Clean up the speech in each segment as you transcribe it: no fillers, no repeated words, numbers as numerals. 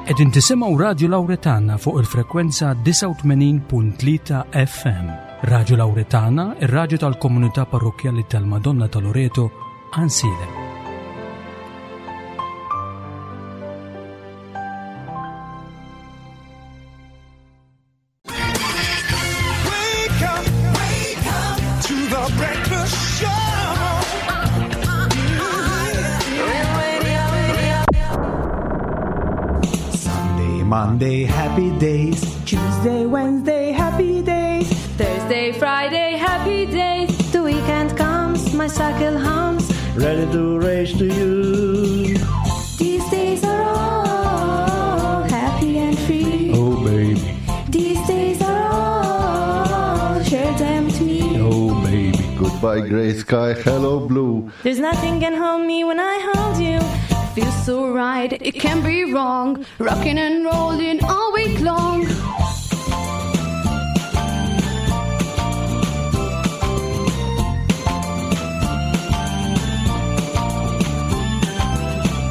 Qegħdin tisimgħu Radju Lawretana fuq il-frekwenza 89.3 FM. Radju Lawretana, ir-radju tal-komunità parrokkjali tal-Madonna ta' Loreto, Għansielem. Sunday, Monday, happy days. Tuesday, Wednesday, happy days. Thursday, Friday, happy days. The weekend comes, my cycle hums. Ready to race to you. These days are all happy and free. Oh, baby. These days are all share them with me. Oh, baby. Goodbye, gray sky. Hello, blue. There's nothing can hold me when I hold you. Feels so right, it can't be wrong. Rocking and rolling all week long.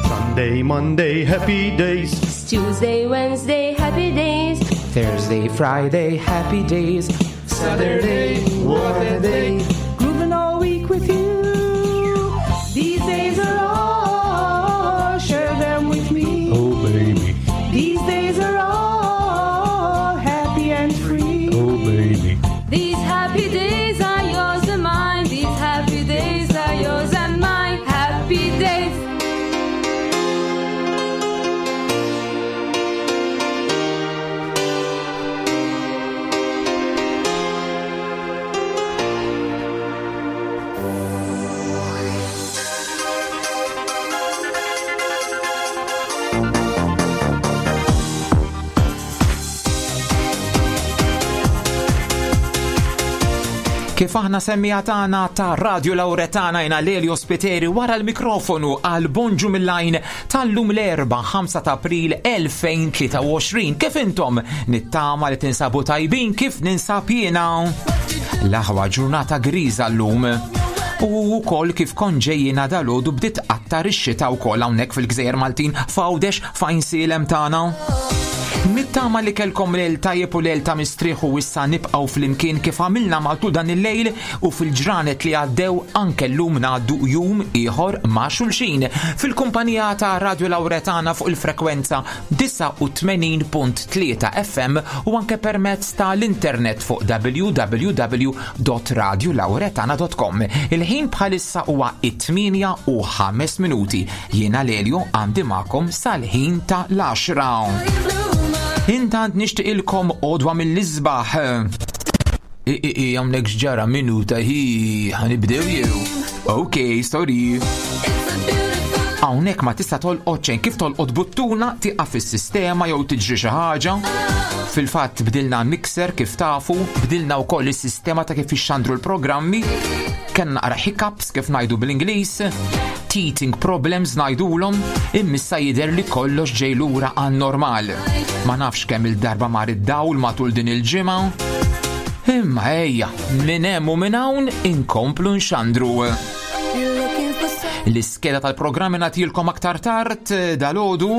Sunday, Monday, happy days. Tuesday, Wednesday, happy days. Thursday, Friday, happy days. Saturday, what a day. Grooving all week with you. These days are all, share them with me. Oh, baby. These days are all happy and free. Oh, baby. These happy days are yours and mine. These happy days are yours and mine. Happy days. Kif aħna semmija tagħna ta' Radio Lauretana jina Lelio Spiteri wara l-mikrofonu għal Bonġu mill-lajn tal-lum l-erba' 5 ta' April 2023. Kif intom nittama li tinsabu tajbin kif ninsab jiena? L-aħwa ġurnata griża llum. U wkoll kif konġejjina dalodu bdiet qattar ix-xita wkoll hawnhekk fil-Gżejjer Maltin f'Għawdex f'Għajnsielem tagħna. Nittama li kelkom lejl tajjeb u lejl ta' mistrieħ u issa nibqgħu flimkien kif għamilna matul dan il-lejl u fil-ġranet li għaddew anke llum ngħaddu jum ieħor ma' xulxin fil-kumpanija ta' Radio Lauretana fuq il-frekwenza 89.3 FM u anke permezz ta' l-internet fuq www.radiolauretana.com. Il-ħin bħalissa huwa it-8 u 5 minuti. Jiena Lelio għandi magħkom sal-ħin ta' l-10. Intant nixtieqilkom għodwa mill-isbaħ. I, i, i, hawnhekk x'ġara minuta hi ħanibdew jew. Ok, sorry. Hawnhekk ma tista' tolqot xejn kif tolqot buttuna tieqaf is-sistema jew tiġri xi ħaġa. Fil-fatt bdilna mixer kif tafu, bdilna wkoll is-sistema ta' kif ixxandru l-programmi. Kellna naqra hiccups kif ngħidu bl-Ingliż, teething problems ngħidulhom, immissa jidher li kollox ġej lura għan-normal. Ma nafx kemm il-darba mar id-dawl matul din il-ġimgħa. Imma ejja, minn hemm u minn hawn inkomplu nxandru. L-iskeda tal-programmi nagħtilkom aktar tard eh, dalgħodu.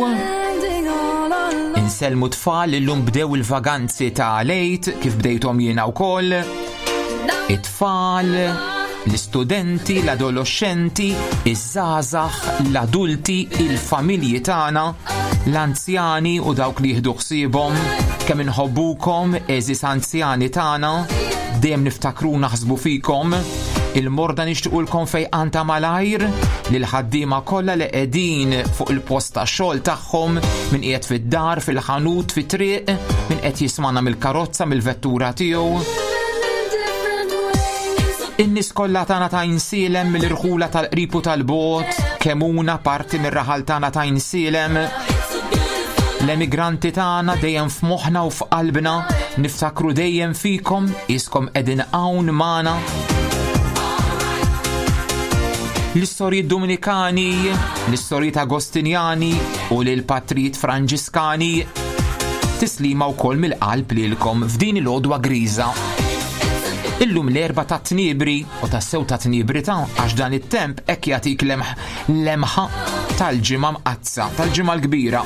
Insellmu tfal illum bdew il-vaganzi ta' lejt kif bdejthom jiena wkoll. It-tfal, l-istudenti, l-adoloxxenti, iż-żgħażagħ, l-adulti, il-familji tagħna, l-anzjani u dawk li jieħdu ħsiebhom, kemm inħobbukom, għeżież anzjani tagħna, dejjem niftakru naħsbu fikom. Il-morda nixtiqulkom fejqan ta' malajr lil ħaddiema kollha li qegħdin fuq il-post ta' xogħol tagħhom min qiegħed fid-dar, fil-ħanut, fit-triq, min qed jismana mill-karozza, mill-vettura tiegħu. In-nies kollha tagħna ta' Għajnsielem mill-irħula tal-qrib u tal-bogħod, kemm huna parti mir-raħal tagħna ta' Għajnsielem. L-emigranti tagħna dejjem f'moħħna u f'qalbna, niftakru dejjem fikom, iskom qegħdin hawn magħna. L-istorji Dominikani, l-istorji Agostinjani u lil patrijiet Franġiskani. Tislima wkoll mill-qalb lilkom f'din il-għodwa griża. Illum l-erba ta' tniebri u tassew ta' tniebri ta' għax dan it-temp hekk jagħtik lemħa tal-ġimgħa mqaddsa, tal-ġimgħa l-kbira.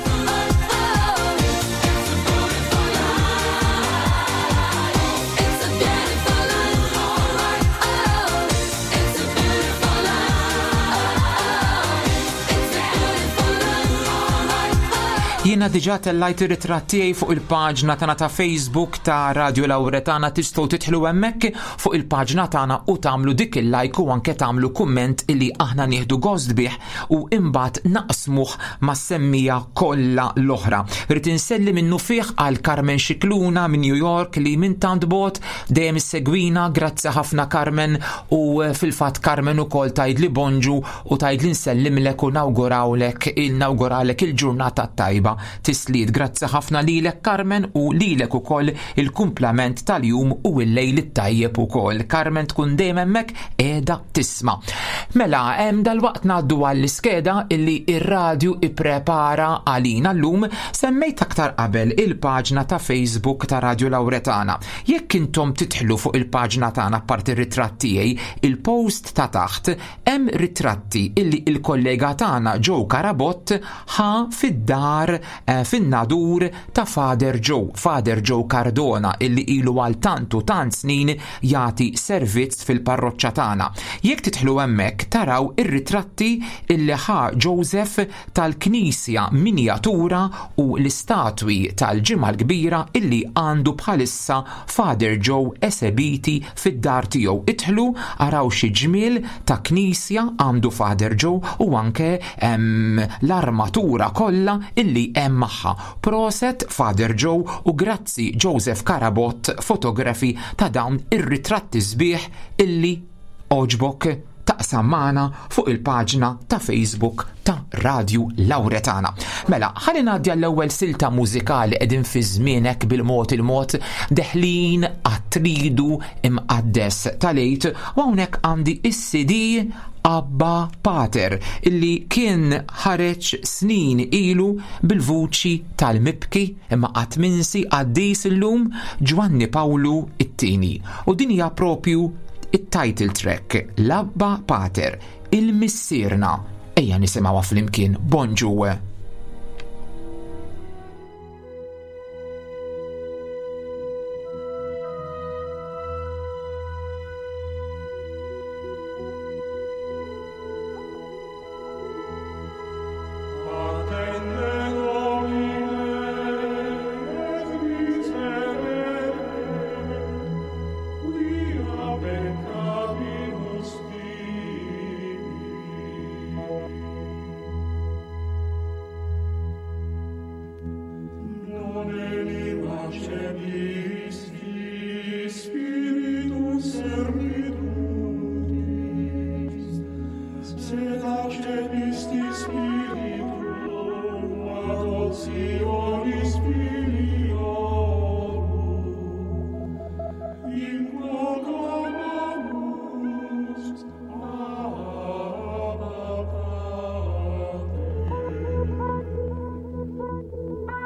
Jiena diġà tellajt ir-ritratt tiegħi fuq il-paġna tagħna ta' Facebook ta' Radio Lauretana tistgħu tidħlu hemmhekk fuq il-paġna tagħna u tagħmlu dik il-like u anke tagħmlu kumment illi aħna nieħdu gost bih u imbagħad naqsmuh mas-semmija kollha l-oħra. Rrid inselli minnu fih għal Carmen Scicluna minn New York li minn tant bogħod dejjem issegwina, grazzi ħafna Carmen u fil-fatt Carmen ukoll tgħidli bonġu u tgħidli nsellimlek u nawgurawlek il-nawguralek il-ġurnata tajba. Tisliet, grazzi ħafna lilek Carmen u lilek ukoll il-kumplament tal-jum u l-lejl it-tajjeb ukoll. Carmen tkun dejjem hemmhekk qiegħda tisma'. Mela, hemm dalwaqt ngħaddu għall-iskeda illi ir-radju ipprepara għalina llum semmejt aktar qabel il-paġna ta' Facebook ta' Radio Lauretana. Jekk intom tidħlu fuq il-paġna tagħna apparti r-ritratt tiegħi, il-post ta' taħt Hemm ritratti illi il-kollega tagħna Joe Carabott ħa fid-dar eh, fin-Nadur ta' Father Joe, Father Joe Cardona illi ilu għal tant u tant snin jagħti servizz fil-parroċċa tagħna. Jekk tidħlu hemmhekk taraw ir-ritratti illi ħa Joseph tal-knisja minjatura u l-istatwi tal-Ġimgħa l-Kbira illi għandu bħalissa Father Joe esebiti fid-dar tiegħu. Idħlu araw xi ġmiel ta' knisja għandu Father Joe u anke l-armatura kollha illi hemm magħha. Proset Father Joe u grazzi Joseph Carabott Photography ta' dawn ir-ritratti sbieħ illi għoġbok taqsam magħna fuq il-paġna ta' Facebook ta' Radju Lauretana. Mela, ħalli ngħaddi għall-ewwel silta mużikali qegħdin fi żmienek bil-mod il-mod deħlin għat-tridu imqaddes tal-Għid u hawnhekk għandi is-CD Abba Pater illi kien ħareġ snin ilu bil-vuċi tal-mibki imma qatt minsi qaddis illum Ġwanni Pawlu it-tieni. U din hija propju it-title track L-Abba Pater, il-Missierna. Ejja nisimgħuha flimkien. Bonġu.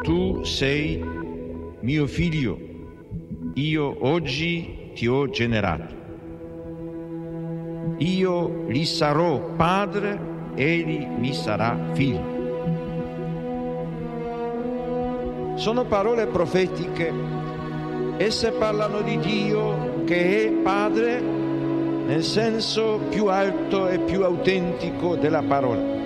Tu sei mio figlio, io oggi ti ho generato. Io gli sarò padre, egli mi sarà figlio. Sono parole profetiche, esse parlano di Dio che è padre nel senso più alto e più autentico della parola.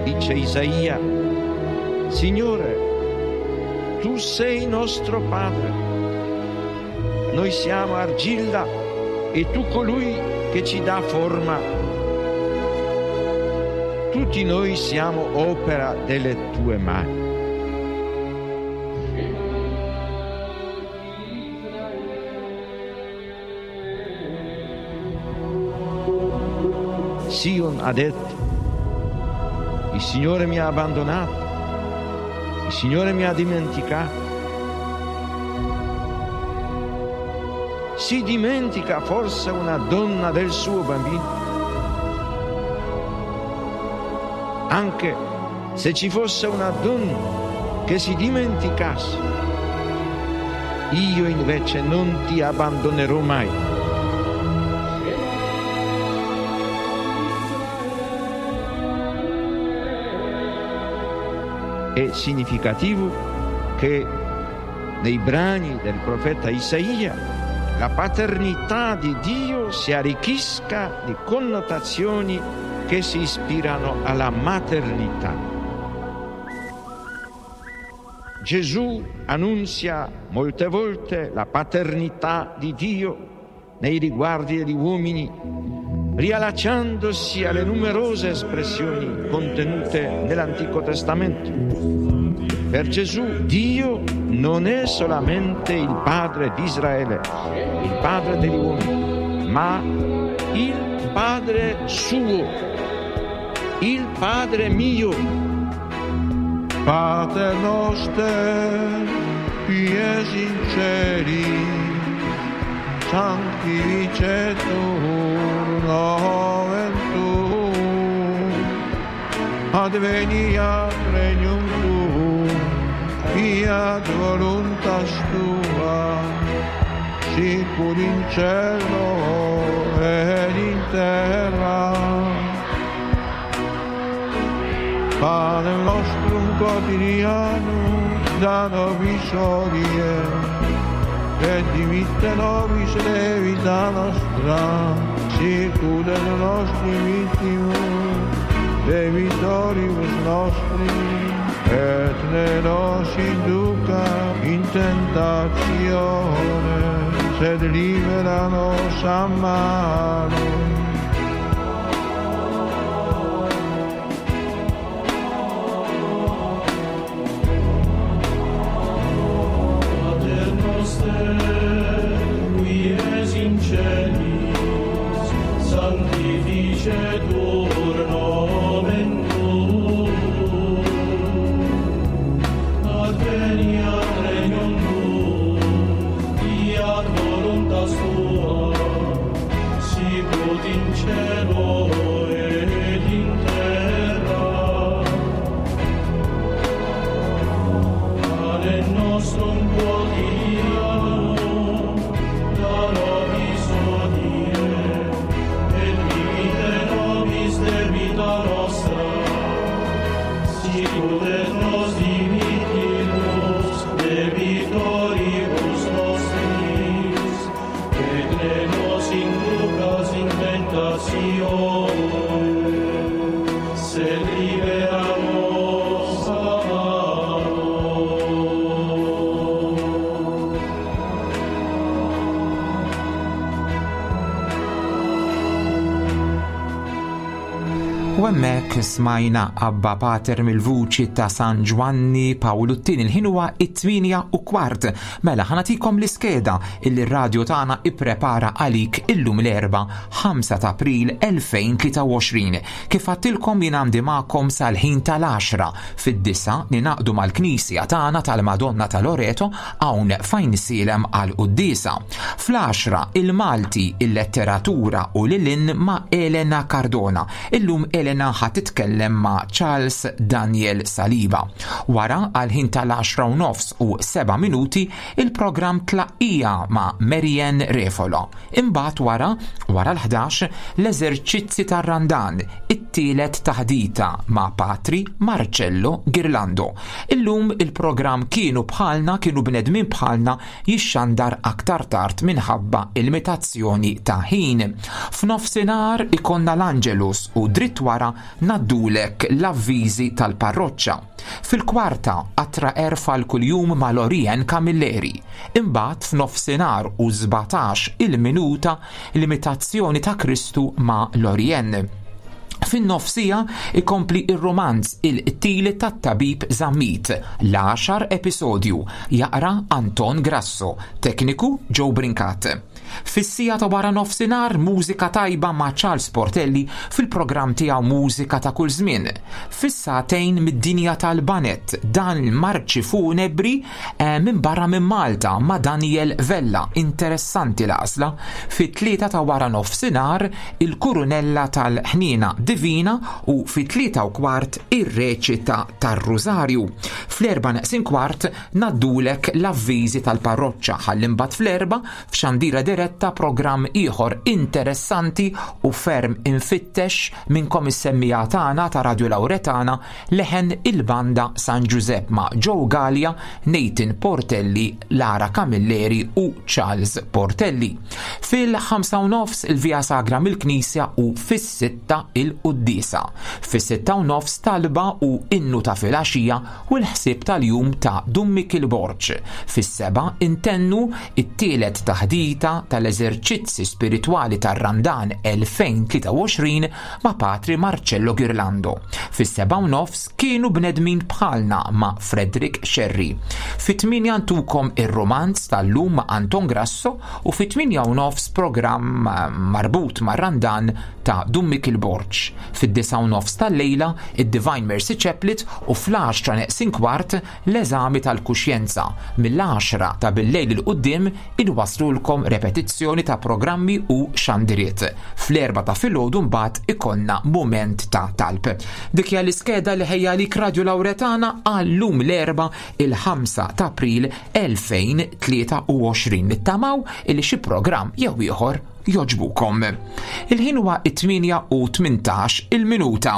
Dice Isaia, Signore, tu sei nostro Padre, noi siamo argilla e tu colui che ci dà forma. Tutti noi siamo opera delle tue mani. Sion ha detto, il Signore mi ha abbandonato, il Signore mi ha dimenticato. Si dimentica forse una donna del suo bambino? Anche se ci fosse una donna che si dimenticasse, io invece non ti abbandonerò mai. È significativo che nei brani del profeta Isaia la paternità di Dio si arricchisca di connotazioni che si ispirano alla maternità. Gesù annunzia molte volte la paternità di Dio nei riguardi degli uomini, riallacciandosi alle numerose espressioni contenute nell'Antico Testamento. Per Gesù Dio non è solamente il Padre di Israele, il Padre degli uomini, ma il Padre suo, il Padre mio. Pater noster, qui es in celis, sanctificetur nomen tuum, adveniat regnum tuum, fiat voluntas tua, sicur in cielo ed in terra. Panem nostrum quotidianum da nobis hodie, et dimitte nobis debita nostra, sicut et nostri mittimus debitoribus nostri, et ne nos induca in tentazione, sed libera nos a malo. Pater noster, qui es in celis, sanctificetur nomen tuum, adveniat regnum tuum, fiat voluntas tua, sicut in cielo et in terra. Panem nostrum quotidianum da nobis hodie, et dimitte nobis debita nostra, sicut et nos dimittimus debitoribus nostris, et ne nos inducas in tentationem, sed libera nos a malo. U hemmhekk smajna Abba Pater mill-vuċi ta' San Ġwanni Pawlu t-tieni. Il-ħin huwa 8:15. Mela ħa nagħtikom l-iskeda illi r-radju tagħna ipprepara għalik illum l-Erbgħa 5 ta' April 2023. Kif għadtilkom jien għandi magħkom sal-ħin tal-10 fid-9 ninaqdu mal-Knisja tagħna tal-Madonna ta' Loreto hawn fejn sielem għal quddiesa. Fl-10 il-Malti, il-letteratura u lilin ma' Elena Cardona. Illum Elena ħa titkellem ma' Charles Daniel Saliba. Wara għal ħin tal-10 nofs u 7 minuti il-programm Tlaqqija ma' Marianne Refolo. Imbagħad wara l-11 l-eżerċizzi tar-Randan, it-tielet taħdita ma' Patri Marcello Girlando. Illum il-programm kienu bħalna, kienu bnedmin bħalna jixxandar aktar tard minħabba il-limitazzjoni ta' ħin. F'nofsinhar ikonna l-Angelus u dritt wara ngħaddulek l-avviżi tal-parroċċa. Fil-kwarta qatra għerf għal kuljum ma' Lorien Camilleri. Imbagħad f'nofsinhar u 17 il-minuta l-imitazzjoni ta' Kristu ma' Lorien. Fin-nofsija ikompli ir-romanz Il-qtil tat-tabib Zammit, l-10 episodju, jaqra Anton Grasso, tekniku Joe Brincat. Fis-siegħa ta' wara nofsinhar mużika tajba ma' Charles Portelli fil-programm tiegħu Mużika ta' kull żmien. Fis-sagħtejn mid-dinja tal-banet dan il-marċi funebri minn barra minn Malta ma' Daniel Vella, interessanti l-għażla. Fit-3 ta' wara nofsinhar il-Kurunella tal-Ħniena Divina u fit-3:15 ir-reċita tar-Rużarju. Fl-3:45 ngħaddulek l-avviżi tal-parroċċa ħalli mbagħad fl-4 f'xandira diretta. diretta programm ieħor interessanti u ferm imfittex minnkom is-semmiegħa tagħna ta' Radio Lauretana leħen il-banda San Ġużepp ma' Joe Galea, Nathan Portelli, Lara Camilleri u Charles Portelli. Fil-5 u nofs il-Via Sagra mill-Knisja u fis-sitta il-Quddiesa. Fis-sitta u nofs talba u innu ta' filgħaxija u l-ħsieb tal-jum ta' Dun Mikiel Borg. Fis-sebgħa intennu it-tielet taħdita tal-eżerċizzi spiritwali tar-Randan 2023 ma' Patri Marcello Ghirlando. Fis-sebgħa u nofs kienu bnedmin bħalna ma' Frederick Scerri. Fit-tmienja ntukom ir-rumanz tal-lum ma' Anton Grasso u fit-tmienja u nofs programm marbut mar-Randan ta' Dun Mikiel Borg. Fid-disgħa u nofs tal-lejla, id-Divine Mercy Chaplet u fl-għaxra neqsin kwart, l-eżami tal-kuxjenza. Mill-għaxra ta' billejl 'il quddiem inwasslulkom repetizzjoni ta' programmi u xandiriet. Fl-erbgħa ta' filgħodu mbagħad ikollna mument ta' talb. Dik hija l-iskeda li ħejja għalik Radju Lawretana għal-lum l-Erbgħa il-5 ta' April 2023. Nittamaw illi xi programm jew ieħor jogħġbukom. Il-ħin huwa it-8 u 18 il-minuta.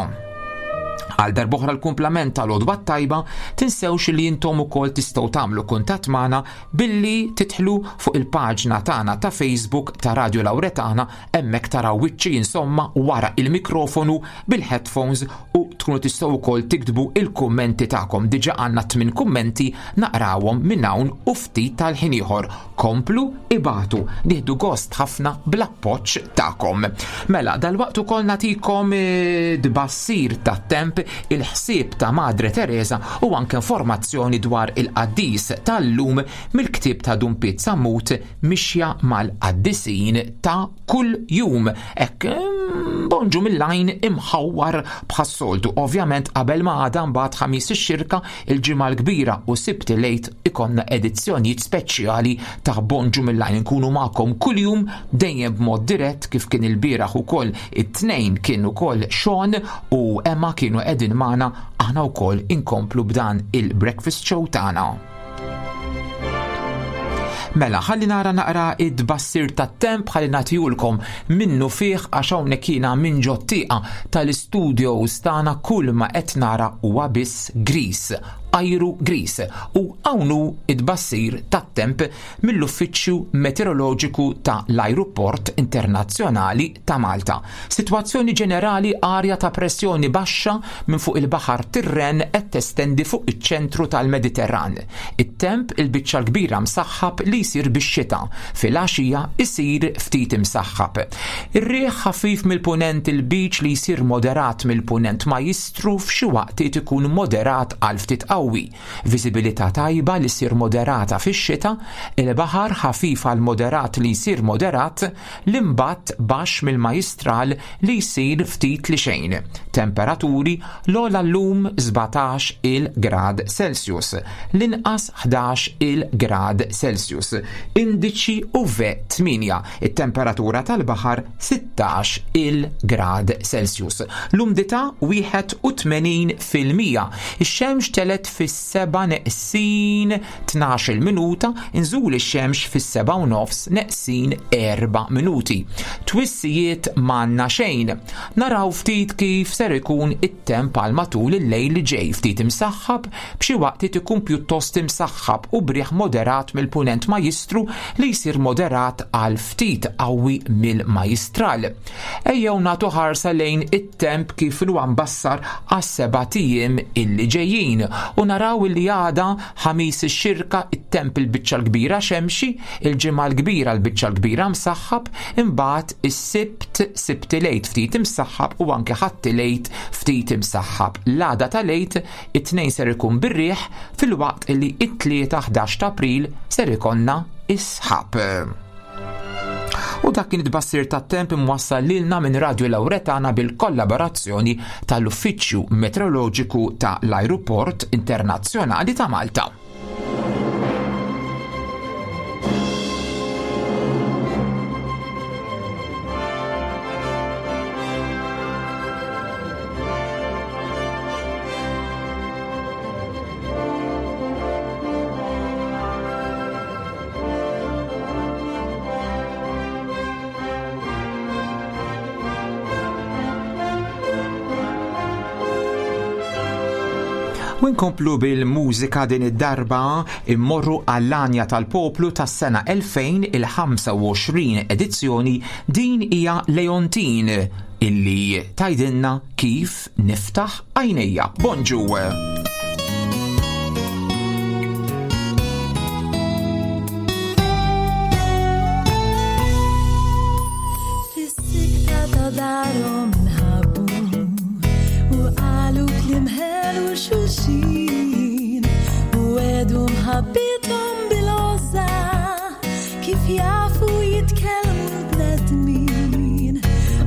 Għal darboħra l-kumplament tal-odwa tajba, tinsewx li jintom ukoll tistgħu tagħmlu kuntatt magħna billi titħlu fuq il-paġna tagħna ta' Facebook ta' Radio Lauretana hemmhekk taraw wiċċi insomma wara il-mikrofonu bil-headphones u tkunu tistgħu wkoll tiktbu il-kummenti tagħkom. Diġà għandna tmien kummenti naqrawhom minn hawn u ftit tal-ħin ieħor. Komplu ibatu, nieħdu gost ħafna bl-appoġġ tagħkom. Mela, dalwaqt ukoll nagħtikom eh, tbassir tat-temp, il-ħsieb ta' Madre Teresa u anke informazzjoni dwar il-qaddis tal-lum mill-ktieb ta' Dun Piet Sammut Mixja mal-Qaddisin ta' kull jum. Hekk mm, bonġu mill-għajn imħawwar bħas-soltu. Ovvjament qabel ma għada mbagħad ħamis ix-xirka il-ġimgħa l-kbira u Sibt il-Għid ikollna edizzjonijiet speċjali ta' Bonġu mill-għajn nkunu magħkom kuljum dejjem b'mod dirett kif kien il-bieraħ ukoll it-tnejn kien ukoll Sean u Emma kienu qegħdin magħna aħna wkoll inkomplu b'dan il-breakfast show tagħna. Mela, ħalli nara naqra id-bassir tat-temp ħalli nagħtihulkom minnu fih għax hawnhekk jiena minn ġot-tieqa tal-istudios tagħna kull ma qed nara huwa biss gris, ajru gris. U hawn hu id-bassir tat-temp mill-Uffiċċju Meteoroloġiku ta' l-Ajruport Internazzjonali ta' Malta. Sitwazzjoni ġenerali arja ta' pressjoni baxxa minn fuq il-Baħar Tirren qed testendi fuq iċ-ċentru tal-Mediterran. It-temp il-biċċa l-kbira msaħħab li jsir bix-xita. Filgħaxija jsir ftit imsaħħab. Ir-riħ ħafif mill-punent il-Lbiċ li jsir moderat mill-punent majjistru f'xi waqtiet ikun moderat għal ftit qawwi. Viżibilità tajba li ssir moderata fix-xita, il-baħar ħafif għal moderat li jsir moderat, l-imbatt baxx mill-majjistral li jsir ftit li xejn. Temperaturi, l-ogħla llum 17 il grad Celsius, l-inqas 11 il grad Celsius. Indiċi UV 8, it-temperatura tal-baħar 16 il grad Celsius. L-umdità 81%. Ix-xemx telgħet fis-seba' neqsin 12-il minuta, inżul ix-xemx fis-seba' u nofs neqsin erba' minuti. Twissijiet m'għandna xejn. Naraw ftit kif ser ikun it-temp għal matul il-lejl li ġej, ftit imsaħħab, b'xi waqtiet ikun pjuttost imsaħħab u b'riħ moderat mill-punent majjistru li jsir moderat għal ftit qawwi mill-majjistral. Ejjew nagħtu ħarsa lejn it-temp kif inhuwa mbassar għas-sebat ijiem illi ġejjin u naraw illi għada Ħamis ix-Xirka it-temp il-biċċa l-kbira xemxi, il-Ġimgħa l-Kbira l-biċċa l-kbira msaħħab, imbagħad is-Sibt, Sibt il-Għid ftit imsaħħab u anke Ħadd il-Għid ftit imsaħħab. L-għada tal-Għid, it-Tnejn ser ikun bir-riħ filwaqt illi it-Tlieta 11 ta' April ser ikollna is-sħab. U dak kien it-tbassir tat-temp imwassal lilna minn Radio Lauretana bil-kollaborazzjoni tal-Uffiċċju Meteoroloġiku ta' l-Ajruport Internazzjonali ta' Malta. U nkomplu bil-mużika din id-darba immorru għall-Għanja tal-Poplu tas-sena 2025 edizzjoni din hija Leontin illi tgħidilna kif niftaħ għajnejja. Bonġu! Fis-sikta ta' darhom nħabbu u qalu kliem ħelu xulxin u għedu mħabbithom bil-għożża kif jafu jitkellmu l-bnedmin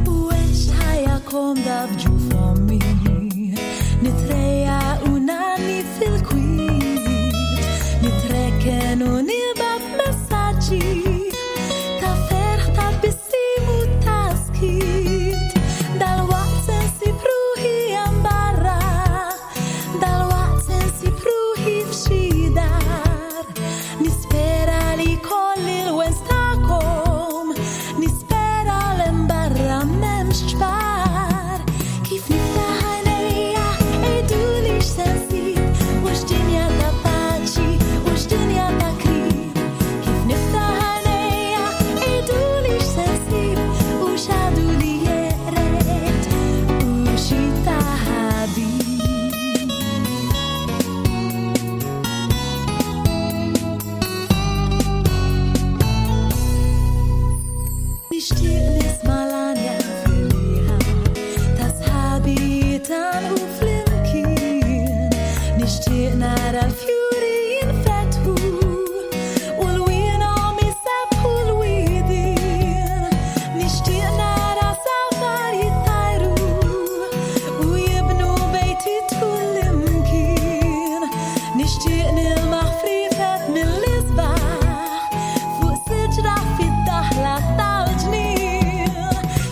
u għext ħajja komda f'ġuf ommi nitrejjaq u ngħanni fil-kwiet nitrekken u nibgħat messaġġi ta' ferħ ta' tbissim u ta' skiet dalwaqt se nsib ruħi hemm barra dalwaqt se nsib ruħi f'xi dar nispera li jkolli l-wens tagħkom nispera l hemm barra m'hemmx ċpar kif niftaħ għajnejja għiduli x'se nsib u x'dinja ta' paċi u x'dinja ta' krib kif niftaħ għajnejja għiduli x'se nsib u x'għadu li jeqred u xi ta' ħabib. Nixtieq nisma' l-għanja fil-riħa ta' sħabi jitgħannqu flimkien. Nixtieq nara l-fjuri jinfetħu u lwienhom isebbħu l-widien. Nixtieq nara safar jittajru u jibnu bejtiet kullimkien. Nixtieq nilmaħ friefet mill-isbaħ fuq siġra fid-daħla tal-ġnien.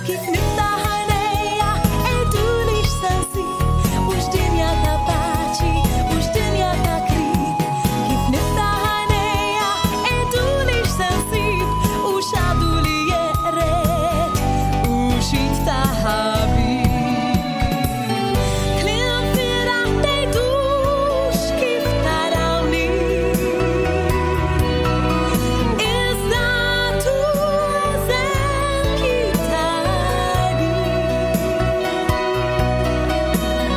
Kif niftaħ għajnejja għiduli x'se nsib u x'dinja ta' paċi u x'dinja ta' krib. Kif niftaħ għajnejja għiduli x'se nsib u x'għadu li jeqred u xi ta' ħabib. Kliem firaħ tgħidux kif tarawni. Iżda tu eżempji tajbin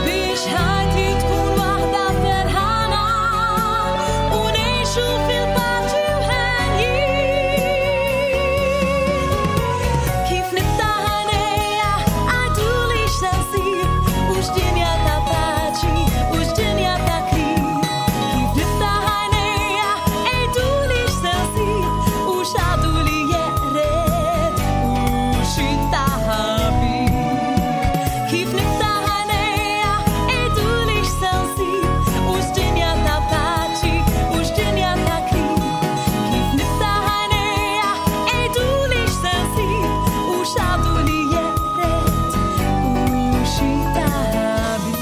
biex ħajti tkun waħda ferħana u ngħixu fil-paċi u ħenjin. Kif niftaħ għajnejja għiduli x'se nsib u x'dinja ta' paċi u x'dinja ta' krib. Kif niftaħ għajnejja għiduli x'se nsib u x'għadu li jeqred u xi ta' ħabib. Kif niftaħ għajnejja għiduli x'se nsib u x'dinja ta' paċi u x'dinja ta' krib. Kif niftaħ għajnejja għiduli x'se nsib u x'għadu li jeqred u xi ta' ħabib.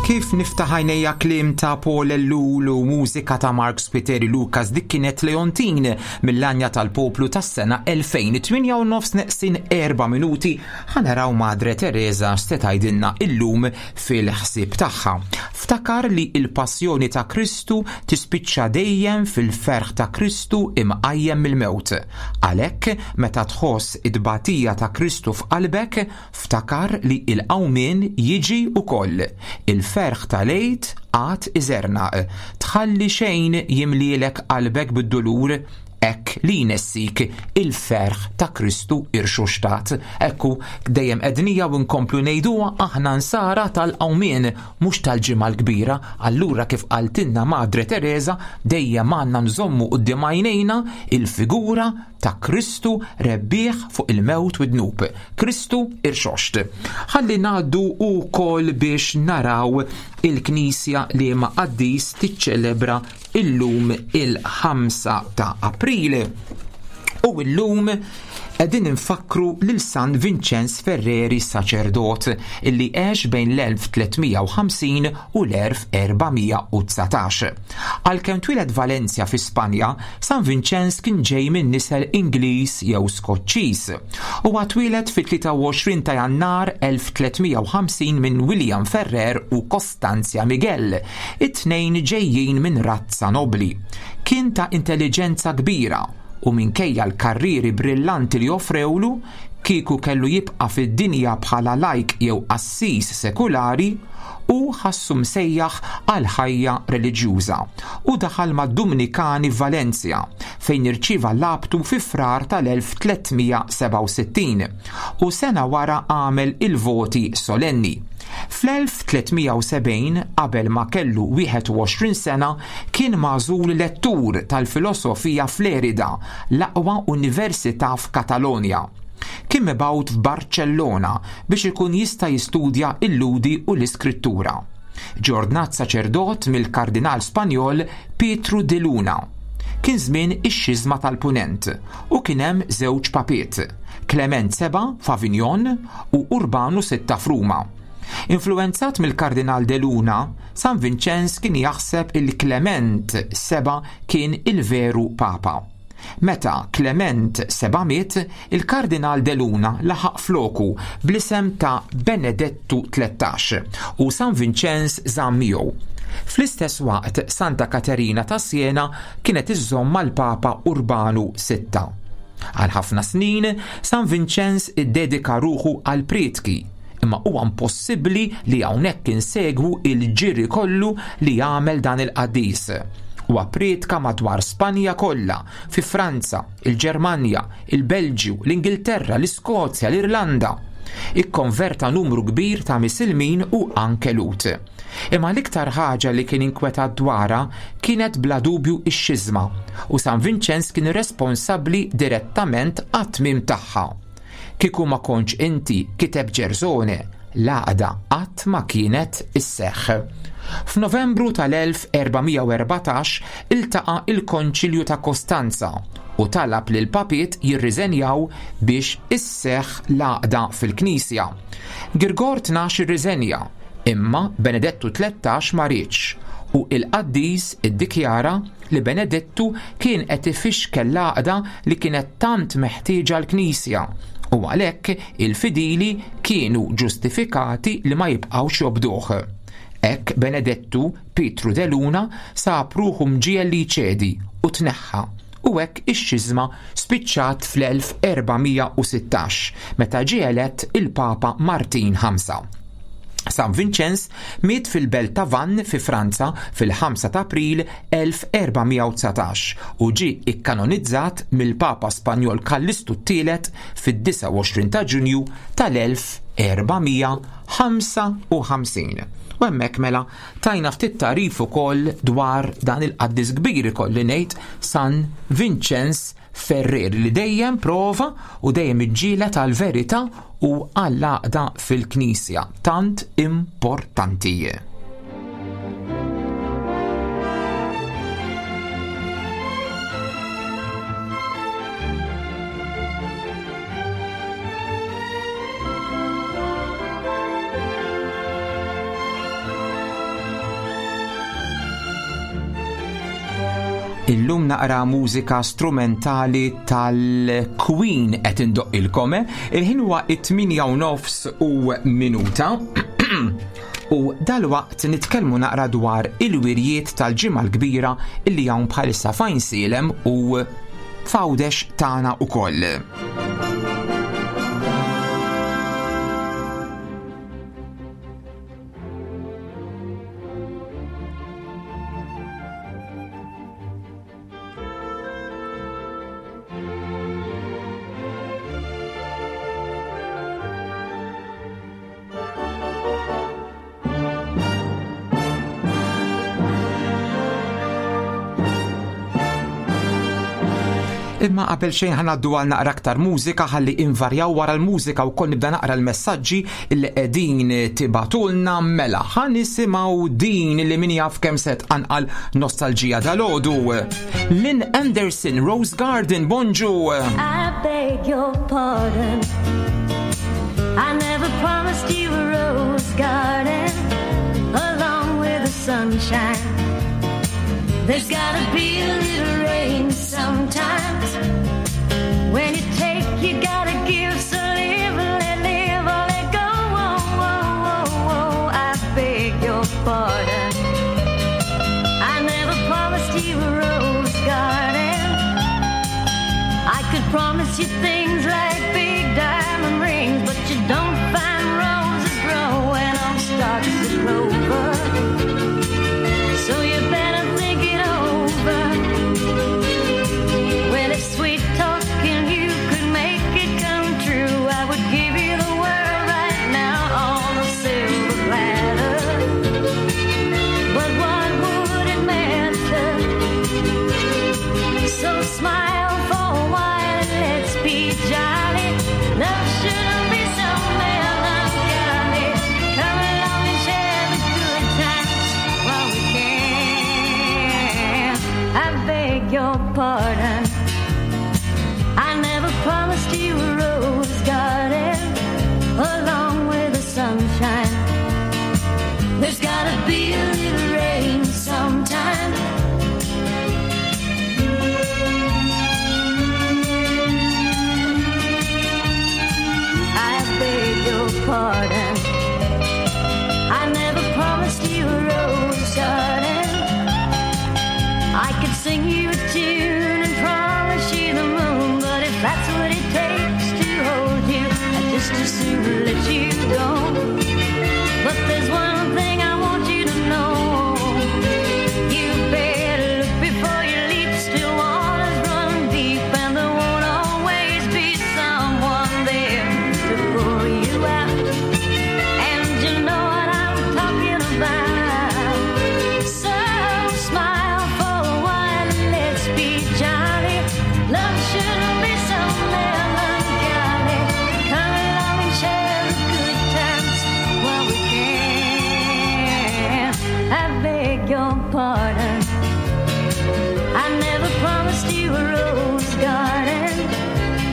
Kif niftaħ għajnejja kliem ta' Paul Ellul u mużika ta' Mark Spiteri Lucas dik kienet Leontin mill-Għanja tal-Poplu tas-sena 2008 u nofs neqsin 4 minuti ħanaraw Madre Teresa x'se tgħidilna illum fil-ħsieb tagħha. Ftakar li il-passjoni ta' Kristu tispiċċa dejjem fil-ferħ ta' Kristu imqajjem mill-mewt. Għalhekk meta tħoss it-tbatija ta' Kristu f'qalbek, ftakar li il-qawmien jiġi ukoll. Il-ferħ tal-Għid għad iżernaq. Tħalli xejn jimlielek qalbek bid-dulur, hekk li jnessik il-ferħ ta' Kristu irxuxtat. Ekku, dejjem għednija u nkomplu ngħiduha aħna nsara tal-qawmien, mhux tal-Ġimgħa l-Kbira. Allura kif qaltilna Madre Teresa, dejjem għandna nżommu quddiem għajnejna il-figura ta' Kristu rebbieħ fuq il-mewt u d-dnub. Kristu irxoxt. Ħalli ngħaddu wkoll biex naraw il-Knisja liema qaddis tiċċelebra illum il-5 ta' April. U illum qegħdin infakkru lil San Vinċenz Ferreri saċerdot illi għex bejn l-1350 u l-1419. Għalkemm twieled Valencia fi Spanja, San Vinċenz kien ġej minn nisel Ingliż jew Skoċċiż. Huwa twieled fit-23 ta' Jannar 1350 minn William Ferrer u Costanzia Miguel, it-tnejn ġejjin minn razza nobbli. Kien ta' intelliġenza kbira u minkejja l-karrieri brillanti li offrewlu, kieku kellu jibqa' fid-dinja bħala lajk jew qassis sekulari, hu ħassu msejjaħ għal ħajja reliġjuża u daħal mad-Dumnikani f'Valencia fejn irċieva l-abtu fi Frar tal-1367 u sena wara għamel il-voti solenni. Fl-1370, qabel ma kellu 21 sena, kien magħżul lettur tal-filosofija f'Lérida, l-aqwa università f'Katalonja. Kien mibgħut f'Barċellona biex ikun jista' jistudja l-Lhudi u l-Iskrittura. Ġie ordnat saċerdot mill-Kardinal Spanjol Pietru di Luna. Kien żmien ix-Xiżma tal-Punent u kien hemm żewġ papiet, Klement Seba' f'Avignon u Urbanu Sitta f'Ruma. Influwenzat mill-Kardinal de Luna, San Vinċenz kien jaħseb il Klement Seba' kien il-veru Papa. Meta Klement Seba' miet, il-Kardinal de Luna laħaq floku bl-isem ta' Benedettu 13 u San Vinċenz żamm miegħu. Fl-istess waqt Santa Katerina ta' Siena kienet iżżomm mal-Papa Urbanu Sitta. Għal ħafna snin, San Vinċenz iddedika ruħu għall-prietki, imma huwa impossibbli li hawnhekk insegwu il-ġiri kollu li għamel dan il-qaddis. Huwa prietka madwar Spanja kollha, fi Franza, il-Ġermanja, il-Belġju, l-Ingilterra, l-Iskozja, l-Irlanda. Ikkonverta numru kbir ta' Misilmin u anke Lhud. Imma l-iktar ħaġa li kien inkwetat dwarha kienet bla dubju x-xiżma u San Vinċenz kien responsabbli direttament għat-tmiem tagħha. Kieku ma kontx inti, kiteb Ġersone, l-għaqda qatt ma kienet isseħħ. F'Novembru tal-1414 iltaqa' il-Konċilju ta' Kostanza u talab li l-papiet jirriżenjaw biex isseħħ l-għaqda fil-Knisja. Girgor 12 irriżenja, imma Benedettu 13 ma riedx u il-qaddis iddikjara li Benedettu kien qed ifixkel l-għaqda li kienet tant meħtieġa l-Knisja u għalhekk il-fidili kienu ġustifikati li ma jibqgħux jobduh. Hekk Benedettu Pietru de Luna sab ruħu mġiegħel li jċedi u tneħħa u hekk ix-xiżma spiċċat fl-1416 meta ġie elett il-Papa Martin 5. San Vinċenz miet fil-belt ta' Vannes fi Franza fil-5 ta' April 1419 u ġie ikkanonizzat mill-Papa Spanjol Kallistu t-Tielet fid-29 ta' Ġunju tal-1455. U hemmhekk mela Tajna ftit tagħrif ukoll dwar dan il-qaddis kbir ikolli ngħid San Vinċenz Ferrer li dejjem prova u dejjem iġġieled għall-verità u għall-għaqda fil-Knisja tant importanti. Illum naqra mużika strumentali tal-Queen qed indoqqilkom. Eh? Il-ħin huwa it-8 u nofs u minuta. U dalwaqt nitkellmu naqra dwar il-wirjiet tal-ġimgħa l-kbira illi hawn bħalissa fajn silem u f'Għawdex tagħna ukoll. Imma qabel xejn ħa ngħaddu għal naqra aktar mużika ħalli invarjaw wara l-mużika wkoll nibda naqra l-messaġġi li qegħdin tibagħtulna mela ħa nisimgħu din li min jaf kemm se tqanqal nostalġija dalgħodu. Lynn Anderson, Rose Garden, bonġu! I beg your pardon. I never promised you a rose garden along with the sunshine. There's gotta be a little rain sometimes. When you take, you gotta give. So live, let live, or let go. Oh, oh, oh, oh. I beg your pardon. I never promised you a rose garden. I could promise you things like big diamond rings, but you don't find roses growing on stalks of clover. So you better think it over. Well, if sweet talking you could make it come true, I would give you the world right now on a silver platter. But what would it matter? So smile for a while and let's be jolly. Love shouldn't be so melancholy. Come along and share the good times while we can. I beg your pardon. I never promised you a rose garden along with the sunshine. There's gotta be a little rain sometime. I beg your pardon. I never promised you a rose garden. I could sing you a tune and promise you the moon, but if that's what it takes to hold you, I'd just as soon let you go. But there's one thing I want you to know. You better look before you leap. Still waters run deep, and there won't always be someone there to pull you out. And you know what I'm talking about. So smile for a while and let's be jolly. Love shouldn't be so melancholy. Come along and share the good times while we can. I beg your pardon. I never promised you a rose garden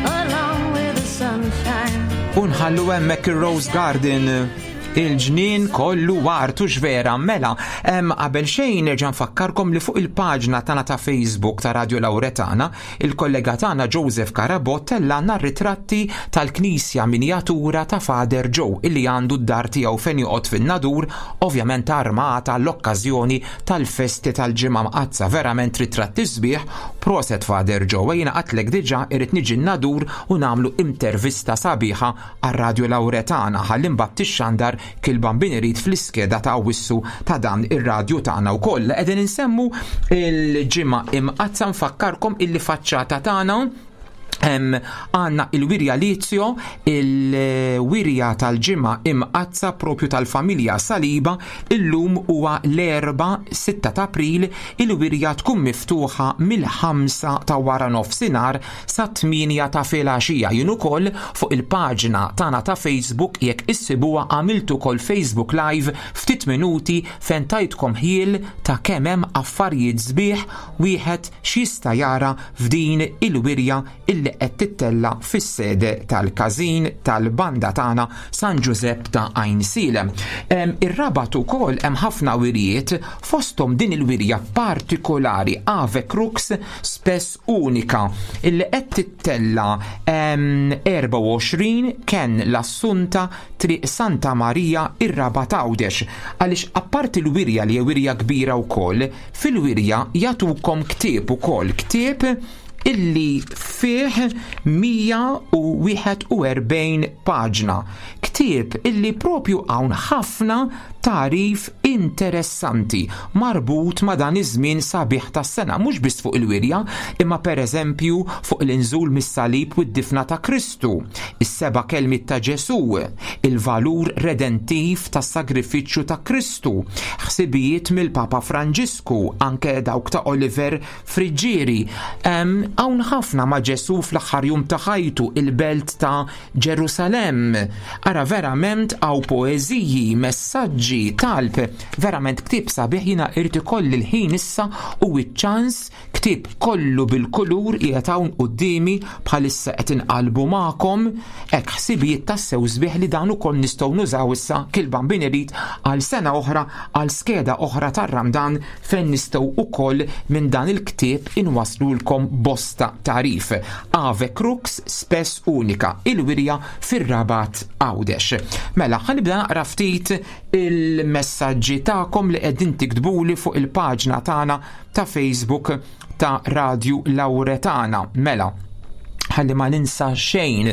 along with the sunshine. U nħallu hemmhekk ir-Rose Garden il-ġnien kollu wartu x'vera mela. Qabel xejn nerġa' nfakkarkom li fuq il-paġna tagħna ta' Facebook ta' Radio Lauretana, il-kollega tagħna Joseph Carabott tellgħalna ritratti tal-knisja miniatura ta' Father Joe illi għandu d-dar tiegħu fejn joqgħod fin-Nadur, ovvjament armata l-okkażjoni tal-festi tal-Ġimgħa Mqaddsa. Verament ritratti sbieħ, proset Father Joe. Jiena għedtlek diġà irrid niġi n-Nadur u nagħmlu intervista sabiħa għal Radio Lauretana ħalli mbagħad tixxandar kil Bambin irid fl-iskeda ta' Awwissu ta' dan ir-radju tagħna wkoll. Qegħdin insemmu il-Ġimgħa Imqaddsa, nfakkarkom illi faċċata tagħna għandna il-wirja Lizio, il-wirja tal-Ġimgħa Imqaddsa propju tal-familja Saliba. Illum huwa l-Erbgħa 6 ta' April, il-wirja tkun miftuħa mill-5 ta' wara nofsinhar sa 8 ta' filgħaxija. Jien ukoll fuq il-paġna tagħna ta' Facebook jekk issibuha għamiltu ukoll Facebook Live ftit minuti fejn tajtkom ħjiel ta' kemm hemm affarijiet sbieħ wieħed x'jista' jara f'din il-wirja illi qed tittella fis-sede tal-każin tal-banda tagħna San Ġużepp ta' Għajnsielem. Ir-Rabat ukoll hemm ħafna wirjiet, fosthom din il-wirja partikolari Ave Crux Spes Unica illi qed tittella 24 Ken l-Assunta Triq Santa Marija ir-Rabat Għawdex. Għaliex apparti l-wirja li hija wirja kbira wkoll, fil-wirja jagħtukom ktieb ukoll, ktieb illi fih 141 paġna. Ktieb Ktieb illi propju hawn ħafna tagħrif interessanti marbut ma' dan iż-żmien sabiħ tas-sena, mhux biss fuq il-wirja, imma pereżempju fuq l-inżul mis-salib u d-difna ta' Kristu, is-seba' kelmiet ta' Ġesù, il-valur redentiv tas-sagrifiċċju ta' Kristu, ħsibijiet mill-Papa Franġisku, anke dawk ta' Oliver Friggieri. Hawn ħafna ma' Ġesù fl-aħħar jum ta' ħajtu, il-belt ta' Ġerusalemm. Ara verament hawn poeżiji, messaġġi, talb, verament ktieb sabiħ jiena irid ikolli l-ħin issa u ċ-ċans ktieb kollu bil-kulur qiegħed hawn quddiemi bħalissa qed inqalbu magħkom hekk ħsibijiet tassew sbieħ li dan ukoll nistgħu nużaw issa kil-bambin irid għal sena oħra għal skeda oħra tar-Ramdan fejn nistgħu ukoll minn dan il-ktieb inwaslulkom bosta tagħrif. Ave Crux Spes Unica, il-wirja fir-Rabat Għawdex. Mela, ħa nibda naqra ftit il-messaġġi tagħkom li qegħdin tiktbuli fuq il-paġna tagħna ta' Facebook ta' Radju Lauretana. Mela, ħalli ma ninsa xejn.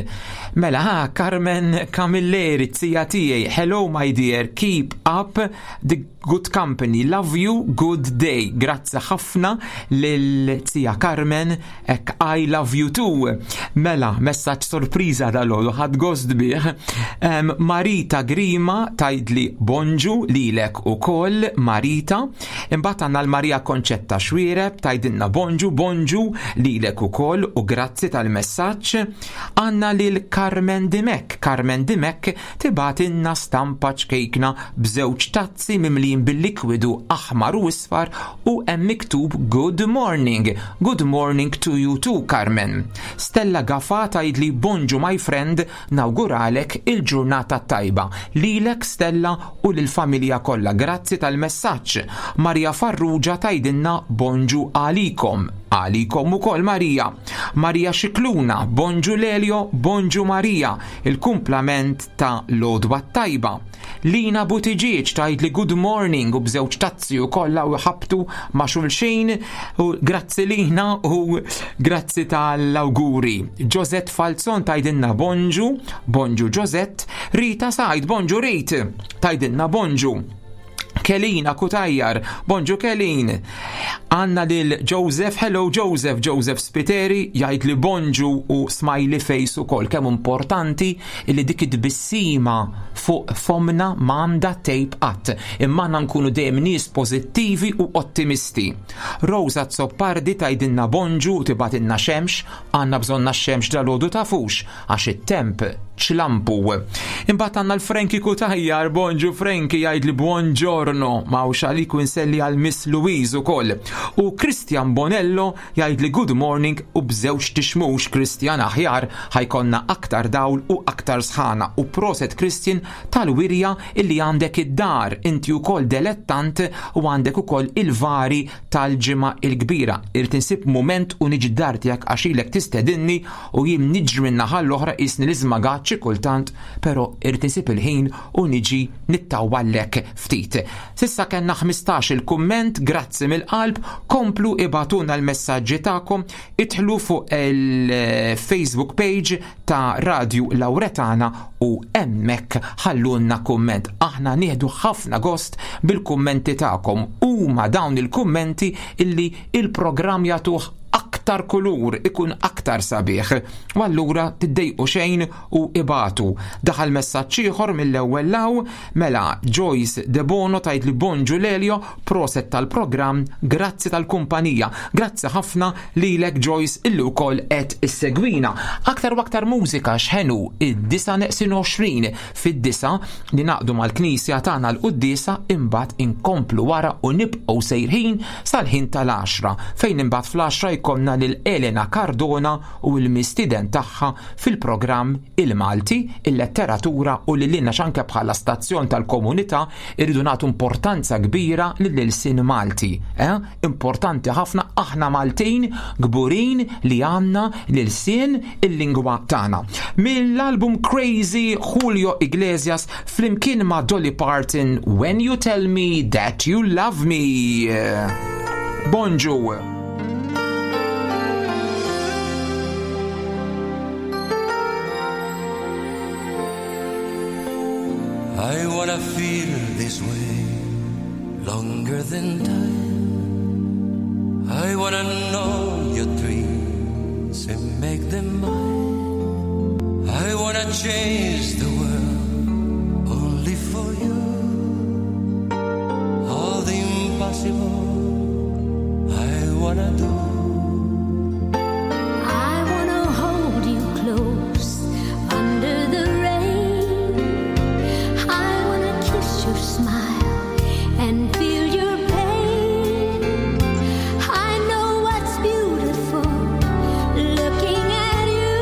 Mela, ha, Carmen Camilleri, tija tiegħi. Hello, my dear, keep up the Good company, love you, good day. Grazzi ħafna lil tija Carmen, ek I love you too. Mela, messaġġ sorpriża dal-għodu, ħadd gost bih. Um, Marita Grima tajdli bonġu lilek ukoll, Marita. Imbagħad għandna l-Marija Konċetta Xwiereb tajdilna bonġu, bonġu lilek ukoll u grazzi tal-messaġġ. Għandna lil Carmen Dimek, Carmen Dimek Tibgħatilna stampa ċkejkna b'żewġ tazzi mimlijin bil-likwidu aħmar u isfar u hemm miktub Good morning. Good morning to you too, Carmen. Stella Gafà tgħidli Bonġu my friend, nawguralek il-ġurnata t-tajba. Lilek Stella u lill-familja kollha. Grazzi tal-messaġġ. Maria Farrugia tgħidilna Bonġu għalikom. Għalikom ukoll Maria. Maria Scicluna, Bonġu Lelio, Bonġu Maria. Il-kumplament ta' l-għodwa t-tajba. Lina Buttigieg tgħidli good morning u b'żewġ tazzi u kollha u ħabtu ma' xulxin u grazzi Lina u grazzi tal-awguri. Josette Falzon tgħidilna bonġu, bonġu Josette, Rita Said bonġu Rit, tgħidilna bonġu. Kelina Kutajjar, bonġu Kelin. Għanna lil Joseph, hello Joseph, Joseph Spiteri, jgħid li bonġu u smiley face u kol, kemm importanti li dik id-bissima fuq fomna m'għandha tejb qatt, imma għandna nkunu dejjem nies pożittivi u ottimisti. Rosa Zoppardi tgħidilna bonġu u tibgħatilna xemx, għandna bżonna x-xemx dalgħodu tafux, għax it-temp ċlampu. Imbagħad għandna l-Frankie Kutajjar, bonġu Frankie jgħid li buongiorno, ma hawnx għalik u nselli għal Miss Louise ukoll. U Christian Bonello jgħid li good morning u b'żewġ tixmux Christian aħjar ħajkonna aktar dawl u aktar sħana u proset Christian tal-wirja illi għandek id-dar inti ukoll delettant u għandek ukoll il-vari tal-Ġimgħa l-Kbira. Irid insib mument u niġi d-dar tiegħek għax ilek tistedinni u jien niġri minn naħa l-oħra qisni l-iżmagat xi kultant, però irid insib il-ħin u niġi nittawwallek ftit. S'issa kellna 15 il-kumment, grazzi mill-qalb, komplu ibagħtulna l-messaġġi tagħkom, idħlu fuq il-Facebook page ta' Radju Lawretana u hemmhekk ħallulna kumment. Aħna nieħdu ħafna gost bil-kummenti tagħkom. Huma dawn il-kummenti illi il-programm jagħtuh aktar kulur, ikun aktar sabiħ. U allura tiddejqu xejn u ibatu. Daħal messaġġ ieħor mill-ewwel law, mela Joyce Debono tgħid li bonġu Lelio, proset tal-programm, grazzi tal-kumpanija. Grazzi ħafna lilek Joyce illi wkoll qed issegwina. Aktar u aktar mużika x'ħenu id-disa neqsin 20 fid-disa li naqdu mal-knisja tagħna l-quddiesa imbagħad inkomplu wara u nibqgħu sejrħin sal-ħin tal-għaxra fejn imbagħad fl-għaxra jkollna lil Elena Cardona u l-mistieden tagħha fil-programm Il-Malti, il-Letteratura u lil għax anke bħala stazzjon tal-komunità irridu nagħtu importanza kbira lill-ilsien Malti. Eh? Importanti ħafna aħna Maltin kburin li għandna l-ilsien il-lingwa tagħna. Mill-album Crazy Julio Iglesias flimkien ma' Dolly Parton When You Tell Me That You Love Me. Bonġu! wanna feel this way longer than time. I wanna know your dreams and make them mine. I wanna change the world only for you. All the impossible I wanna do. I wanna hold you close under the rain. I wanna kiss your smile and feel your pain. I know what's beautiful looking at you.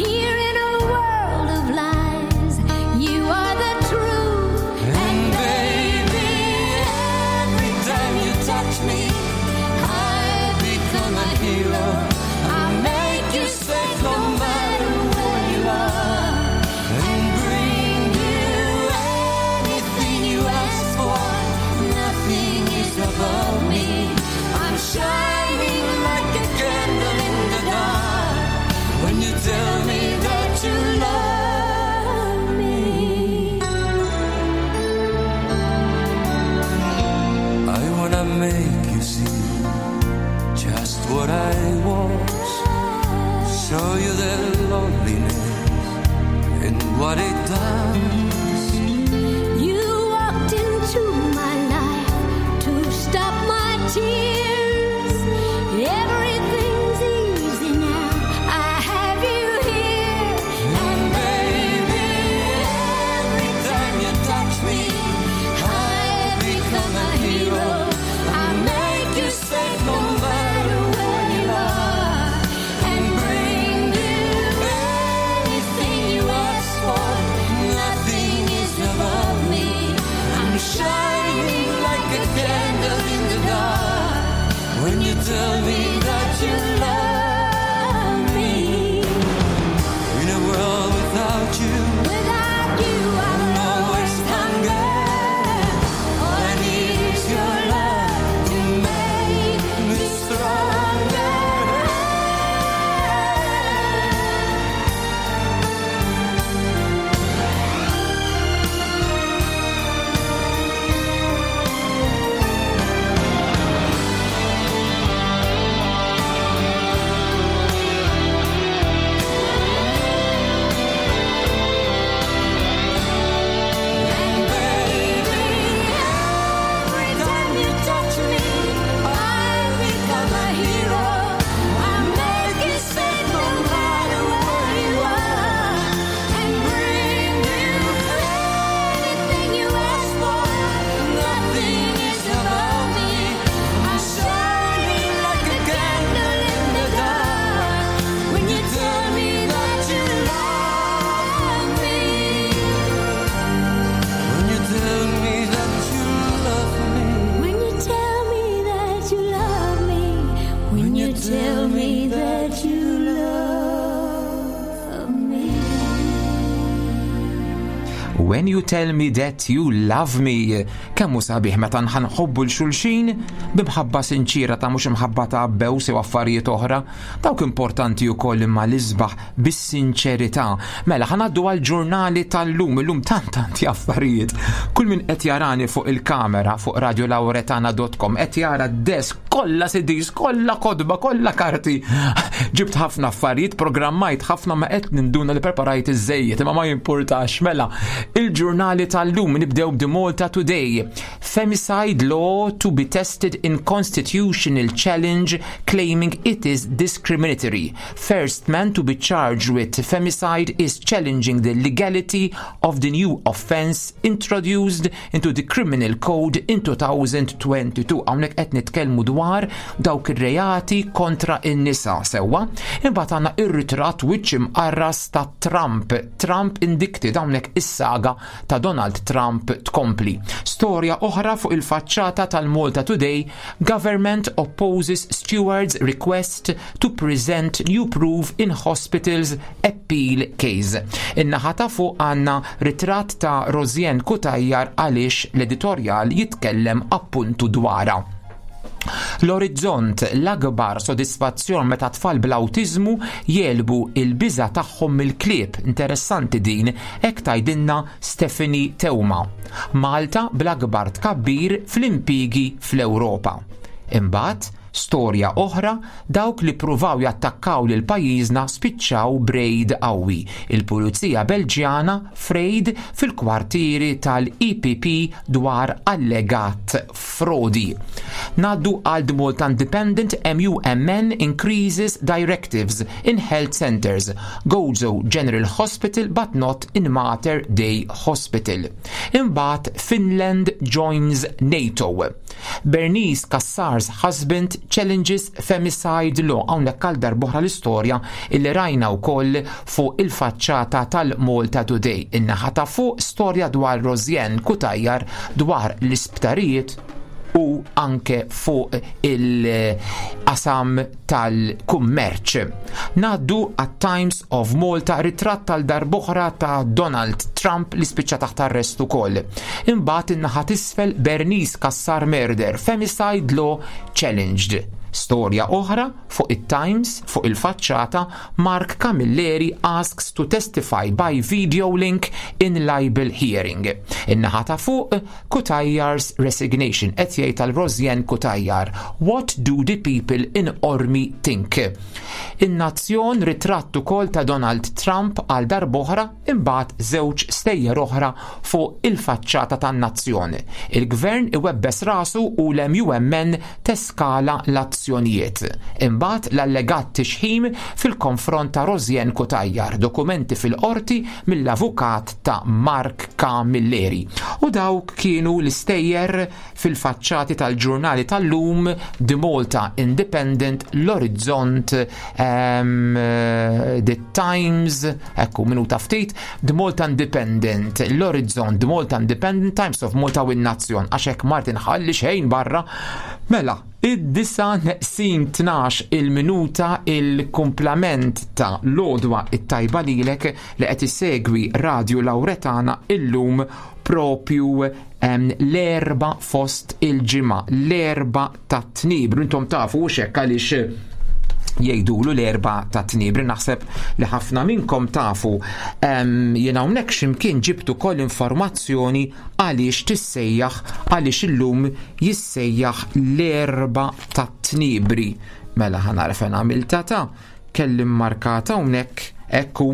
Here in a world of lies, you are the truth. And baby, every time you touch me, I become a hero. I make you safe no matter where you are, and bring you anything you ask for. Nothing is above me. I'm shining like a candle in the dark when you tell me that you love me. I wanna make you see just what I was. Show you the loneliness and what it does. You walked into my life to stop my tears. Everything's easy now. I have you here. And baby, every time you touch me, I become a hero. I make you safe no matter where you are, and bring you anything you ask for. Nothing is above me. I'm shining like a candle in the dark when you tell me that you love me. In a world without you, Without you, I'm always hunger. All I need is your love to make me stronger. And baby, every time you touch me, I become a hero. I make you safe no matter where you are, and bring you anything you ask for. Nothing is above me. I'm shining like a candle in the dark when you tell me that you love me. When you tell me that you love me. When you tell me that you love me, when you tell me that you love me. When you tell me that you love me, kemm hu sabiħ meta nħobbu 'l xulxin b'imħabba sinċira ta' mhux imħabba ta' bews u affarijiet oħra, dawk importanti wkoll imma l-isbaħ bis-sinċerità. Mela ħa ngħaddu għal-ġurnali tal-lum, illum tant tanti affarijiet. Kull min qed jarani fuq il-kamera fuq radiolauretana.com qed jara d-desk kollha CDs, kollha kotba, kollha karti. Ġibt ħafna affarijiet, programmajt ħafna ma qed ninduna li preparajt iż-żejjed, imma ma jimpurtax. Mela, il-ġurnali tal-lum nibdew b'The Malta Today. Femicide law to be tested in constitutional challenge claiming it is discriminatory. First man to be charged with femicide is challenging the legality of the new offense introduced into the criminal code in 2022. Hawnhekk qed nitkellmu dwar dawk ir-reati kontra in-nisa sewwa. Imbagħad għandna ir-ritratt wiċċ imqarras ta' Trump. Trump indicted hawnhekk is-saga ta' Donald Trump tkompli. Storja oħra fuq il-faċċata tal-Malta Today, government opposes stewards request to present new proof in hospitals appeal case. In-naħa ta' fuq għandna ritratt ta' Rosianne Cutajar għaliex l-editorjal jitkellem appuntu dwarha. L-Orizzont, l-akbar sodisfazzjon meta tfal bl-awtiżmu jegħlbu il-biża' tagħhom mill-klieb. Interessanti din, hekk tgħidilna Stephanie Teuma. Malta bl-akbar tkabbir fl-impjiegi fl-Ewropa. Imbagħad, storja oħra, dawk li ppruvaw jattakkaw lil pajjiżna spiċċaw b'rejd qawwi. Il-Pulizija Belġjana f'rejd fil-kwartieri tal-EPP dwar allegat frodi. Ngħaddu għal The Malta Independent MUMN increases directives in health centers, Gozo General Hospital but not in Mater Dei Hospital. Imbagħad Finland joins NATO. Bernice Cassar's husband challenges femicide law. Hawnhekk għal darb'oħra l-istorja illi rajna wkoll fuq il-faċċata tal-Malta Today. In-naħa ta' fuq storja dwar Rosianne Cutajar dwar l-isptarijiet u anke fuq il-qasam tal-kummerċ. Ngħaddu għat-Times of Malta ritratt tal darb'oħra ta' Donald Trump li spiċċa taħt arrest ukoll. Imbagħad in-naħa t'isfel Bernice Cassar murder, femicide law challenged. Storja oħra fuq it-Times, fuq il-faċċata, Mark Camilleri asks to testify by video link in libel hearing. In-naħa ta' fuq, Cutajar's resignation qed jgħid għal Rosianne Cutajar. What do the people in Qormi think? In-Nazzjon ritratt ukoll ta' Donald Trump għal darb'oħra imbagħad żewġ stejjer oħra fuq il-faċċata tan-Nazzjon. Il-Gvern iwebbes rasu u l-MUMN teskala l-azzjonijiet. Imbagħad l-allegat tixħim fil-konfront ta' Rosianne Cutajar, dokumenti fil-Qorti mill-avukat ta' Mark Camilleri. U dawk kienu l-istejjer fil-faċċati tal-ġurnali tal-lum, The Malta Independent, l-Orizzont, The Times, ekku minuta ftit, The Malta Independent, l-Orizzont, The Malta Independent, Times of Malta u n-Nazzjon, għax hekk Martin ħalli xejn barra. Mela, id-disa neqsin 12 il-minuta il-kumplament ta' l-għodwa it-tajba lilek li qed issegwi Radio Lauretana illum propju l-Erbgħa fost il-ġimgħa, l-Erbgħa tat-Tniebru. Intom tafu hux hekk għaliex jgħidulu l-Erbgħa tat-Tniebri, naħseb li ħafna minnkom tafu. Jien hawnhekk x'imkien ġibt ukoll informazzjoni għaliex tissejjaħ għaliex illum jissejjaħ l-Erbgħa tat-Tniebri. Mela ħa nara fejn għamiltha ta' kelli mmarkata hawnhekk, ekku,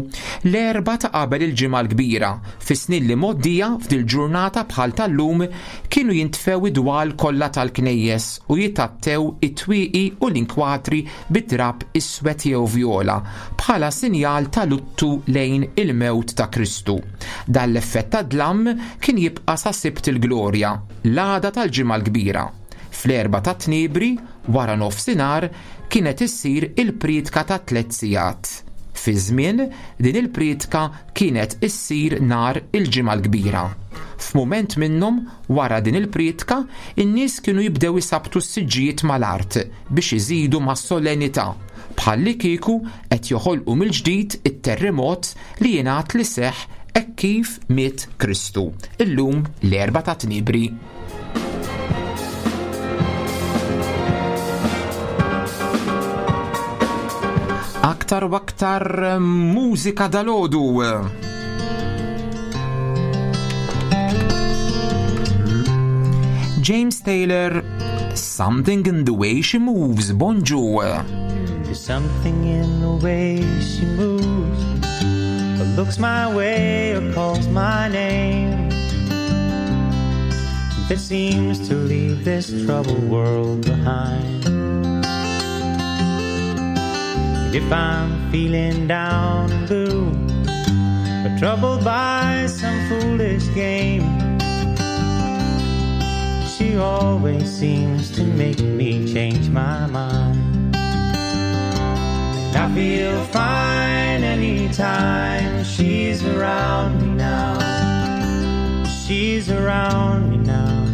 l-Erbgħa ta' qabel il-Ġimgħa l-Kbira, fis-snin li mgħoddija f'dil-ġurnata bħal tal-lum kienu jintfew id-dwal kollha tal-knejjes u jitgħattew it-twieqi u l-inkwatri bi drapp iswed jew vjola bħala sinjal ta' luttu lejn il-mewt ta' Kristu. Dan l-effett ta' dlam kien jibqa' sa Sibt il-Glorja, l-għada tal-Ġimgħa l-Kbira. Fl-Erbgħa tat-Tniebri, wara nofsinhar, kienet issir il-prietka ta' tlett sigħat. Fi żmien, din il-prietka kienet issir nhar il-Ġimgħa l-Kbira. F'mument minnhom, wara din il-prietka, in-nies kienu jibdew isabbtu s-siġġijiet mal-art biex iżidu mas-solennità, bħallikieku qed joħolqu mill-ġdid it-terremot li jingħad li seħħ hekk kif miet Kristu. Illum l-Erbgħa tat-Tniebri. Aktar u aktar mużika dalodu. James Taylor, Something in the Way She Moves, bonġu. There's something in the way she moves, or looks my way or calls my name. That seems to leave this troubled world behind. And if I'm feeling down and blue, or troubled by some foolish game, she always seems to make me change my mind. And I feel fine anytime she's around me now. She's around me now,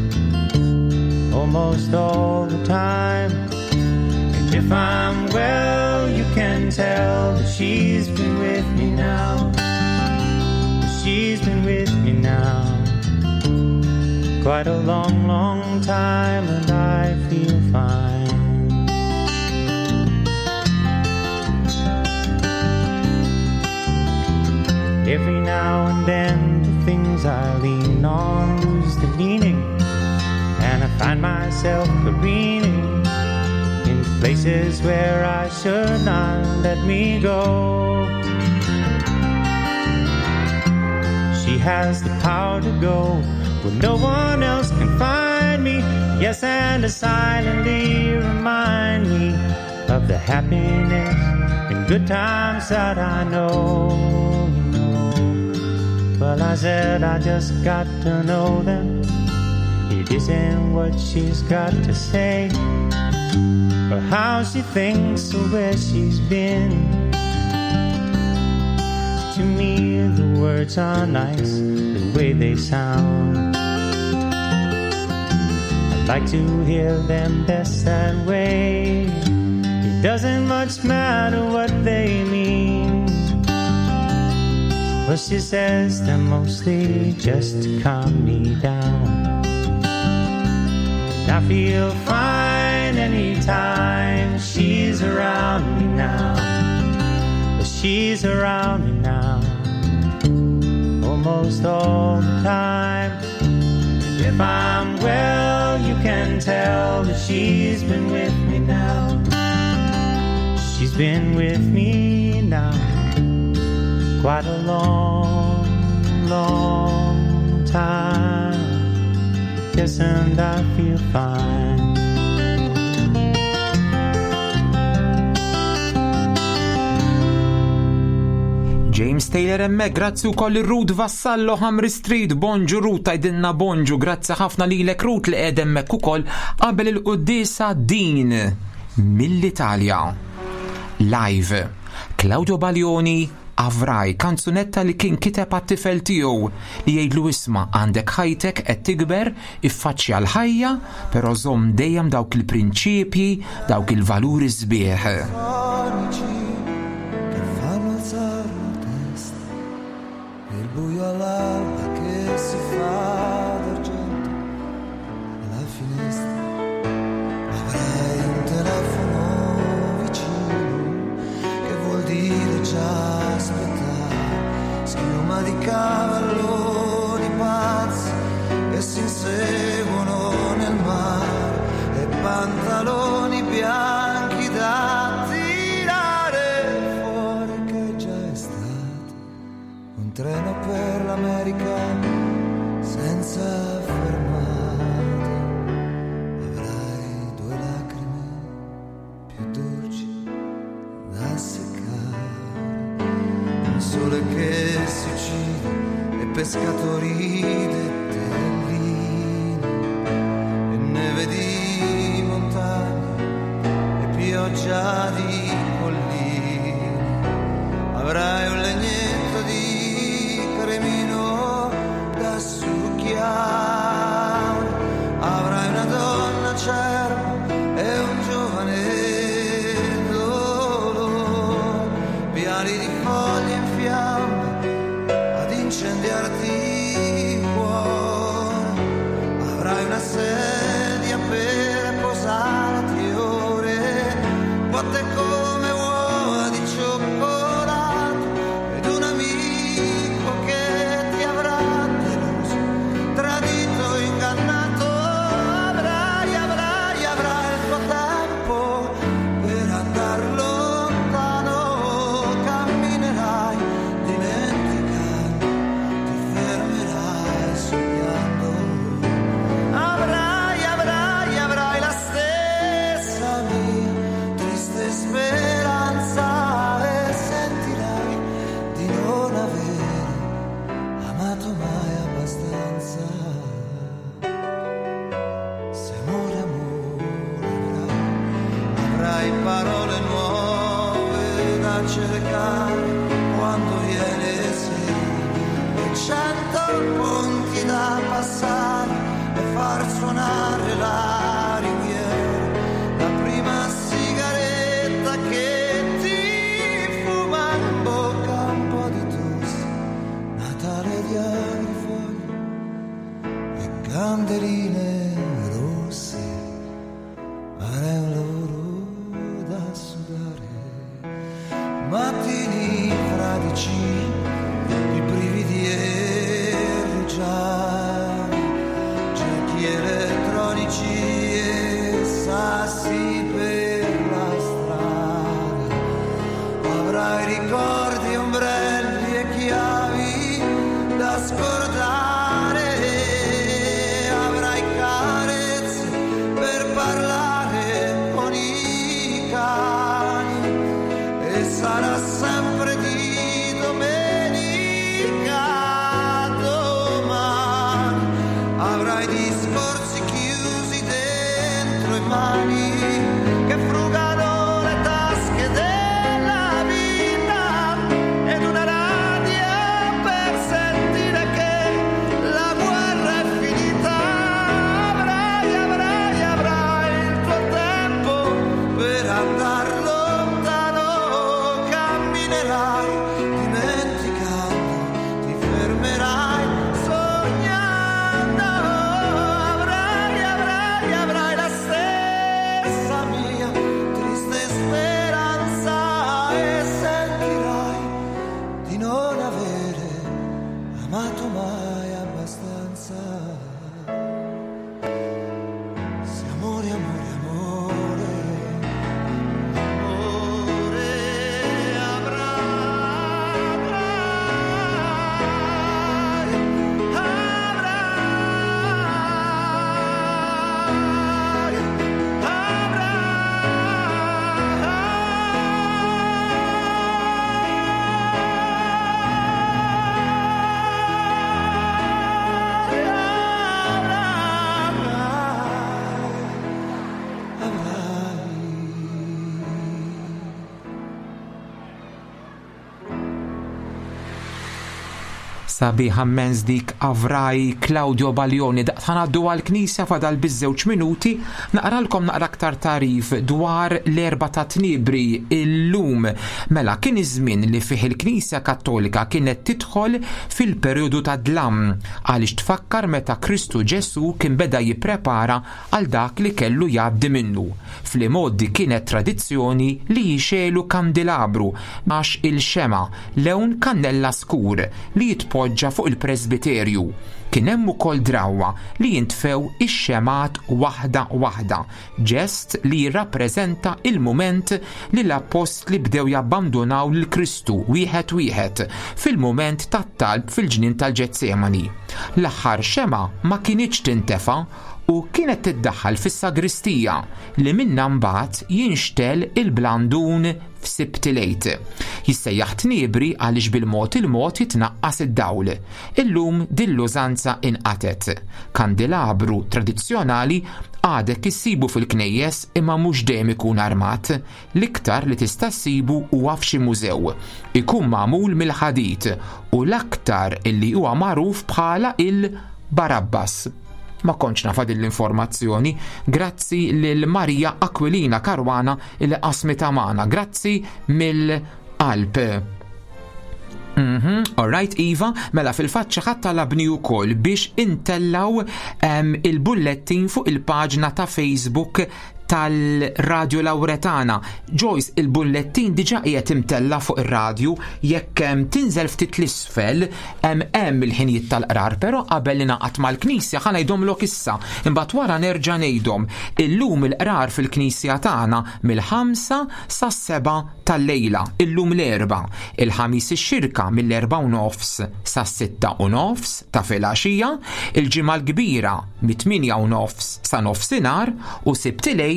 almost all the time. And if I'm well, you can tell that she's been with me now. She's been with me now quite a long, long time, and I feel feel fine. Every now and then, the things I lean on lose the meaning, and I find myself careening in places where I should not let me go. She has the power to go where no one else can find me. Yes, and to silently remind me of the happiness and good times that I know. You know. Well, I said I just got to know them. It isn't what she's got to say, or how she thinks, or where she's been. To me, the words are nice, the way they sound. I like to hear them best that way. It doesn't much matter what they mean. Well, she says they're mostly just to calm me down. And I feel fine anytime she's around me now. But she's around me now, almost all the time. And if I'm well, you can tell that she's been with me now. She's been with me now quite a long, long time. Yes, and I feel fine. James Taylor hemmhekk, grazzi wkoll ir-Ruth Vassallo Hamri Street, bonġu Ruth tgħidilna bonġu, grazzi ħafna lilek Ruth li qiegħed hemmhekk ukoll qabel il-quddiesa din mill-Italja. Live. Claudio Baglioni Avrai, kanzunetta li kien kiteb għat-tifel tiegħu li jgħidlu isma' għandek ħajtek qed tikber, iffaċċja l-ħajja, però żomm dejjem dawk il-prinċipji, dawk il-valuri sbieħ. Sonici che fanno alzare la testa, il buio all'alba che si fa d'argento alla finestra. Avrai un telefono vicino che vuol dire già aspettare, schiuma di cavalloni pazzi che si inseguono nel mare e pantaloni bianchi da tirare fuori che già è estate, un treno per l'America senza fermate. Avrai due lacrime più dolci da seccare, un sole che si uccide e pescatori d'Etellini e neve di montagna e pioggia di colline. Avrai un legnetto di cremino da succhiare, avrai una donna acerba e un giovane dolore, piani di foglie in fiamme ad incendiarti il cuore. Avrai una sedia per posarti ore, vuote come uova di cioccolato, ed un amico che ti avrà deluso, tradito, ingannato. Avrai, avrai, avrai il tuo tempo per andar lontano, camminerai dimenticando, ti fermerai sognando. Avrai, avrai, avrai la stessa mia triste speranza e sentirai di non avere amato mai abbastanza. Se amore, amore avrai, avrai parole nuove da cercare quando viene sera e 100 ponti da passare e far suonare la ringhiera, la prima sigaretta che ti fuma in bocca un po' di tosse, Natale di agrifoglie e candeline rosse. Mattini fradici, i brividi e rugiadi, giochi elettronici e sassi per la strada. Avrai ricordi, ombrelli e chiavi da scordare, avrai carezze per parlare con i cani e sarà sempre di domenica domani. Avrai discorsi chiusi dentro e mani che frugano le tasche della vita ed una rabbia per sentire che la guerra è finita. Avrai, avrai, avrai il tuo tempo per andar lontano, camminerai dimenticando, ti fermerai sognando. Avrai, avrai, avrai la stessa mia triste speranza e sentirai di non avere amato mai abbastanza. Se amore, amore, amore, amore avrai, avrai, Sabiħa mens dik Avraj Claudio Baglioni. Daqt ħanaddu għal-Knisja fadal biż-żewġ minuti naqralkom naqra aktar tarif dwar l-erba ta' tnibri illum. Mela kien iż-żmien li fih il-Knisja Kattolika kienet tidħol fil-perjodu ta' dlam għaliex tfakkar meta Kristu Ġesu kien beda jipprepara għal dak li kellu jgħaddi minnu. Fl-imoddi kienet tradizzjoni li jixelu kandilabru għax il-xema lewn kannella skur li jitpoġġa fuq il-presbiterju. Kien hemm ukoll drawwa li jintfew ix-xemat waħda waħda, ġest li jirrappreżenta il-mument li l-appostli bdew jabbandunaw lil Kristu wieħed wieħed fil-mument tat-talb fil-ġnien tal-Ġetsemani. L-aħħar xema ma kinitx tintefa u kienet tiddaħħal fis-sagristija li minnha mbagħad jinxtel il-blandun f'Sibt il-Għid. Jissejjaħ tniebri għaliex bil-mod il-mod jitnaqqas id-dawl. Illum din l-użanza inqatet. Kandilabru tradizzjonali għadek issibu fil-knejjes imma mhux dejjem ikun armat. L-iktar li tista' ssibu huwa f'xi mużew. Ikun magħmul mill-ħadid u l-aktar illi huwa magħruf bħala il-Barabbas. Ma kontx nafa din l-informazzjoni. Grazzi lil Maria Aquilina Caruana li qasmitha magħna. Grazzi mill-qalb. All right, Iva, mela fil-fatt xi ħadd talabni wkoll biex intellaw il-bullettin fuq il-paġna ta' Facebook tal-Radio Lauretana. Joyce, il-bullettin diġa qiegħed imtella fuq ir-radju, jekk tinżel ftit l-isfel hemm il-ħinijiet tal-qrar, però qabel li naqgħad mal-Knisja ħa ngħidhomlok issa, imbagħad wara nerġa' ngħidhom. Illum il-qrar fil-Knisja tagħna mill-5 sas-7 tal-lejla, illum l-Erbgħa, il-Ħamis ix-Xirka mill-erbgħa u nofs sas-sitta u nofs ta' filgħaxija, il-Ġimgħa l-Kbira mit-tmienja u nofs sa nofsinhar u Sibt il-Għid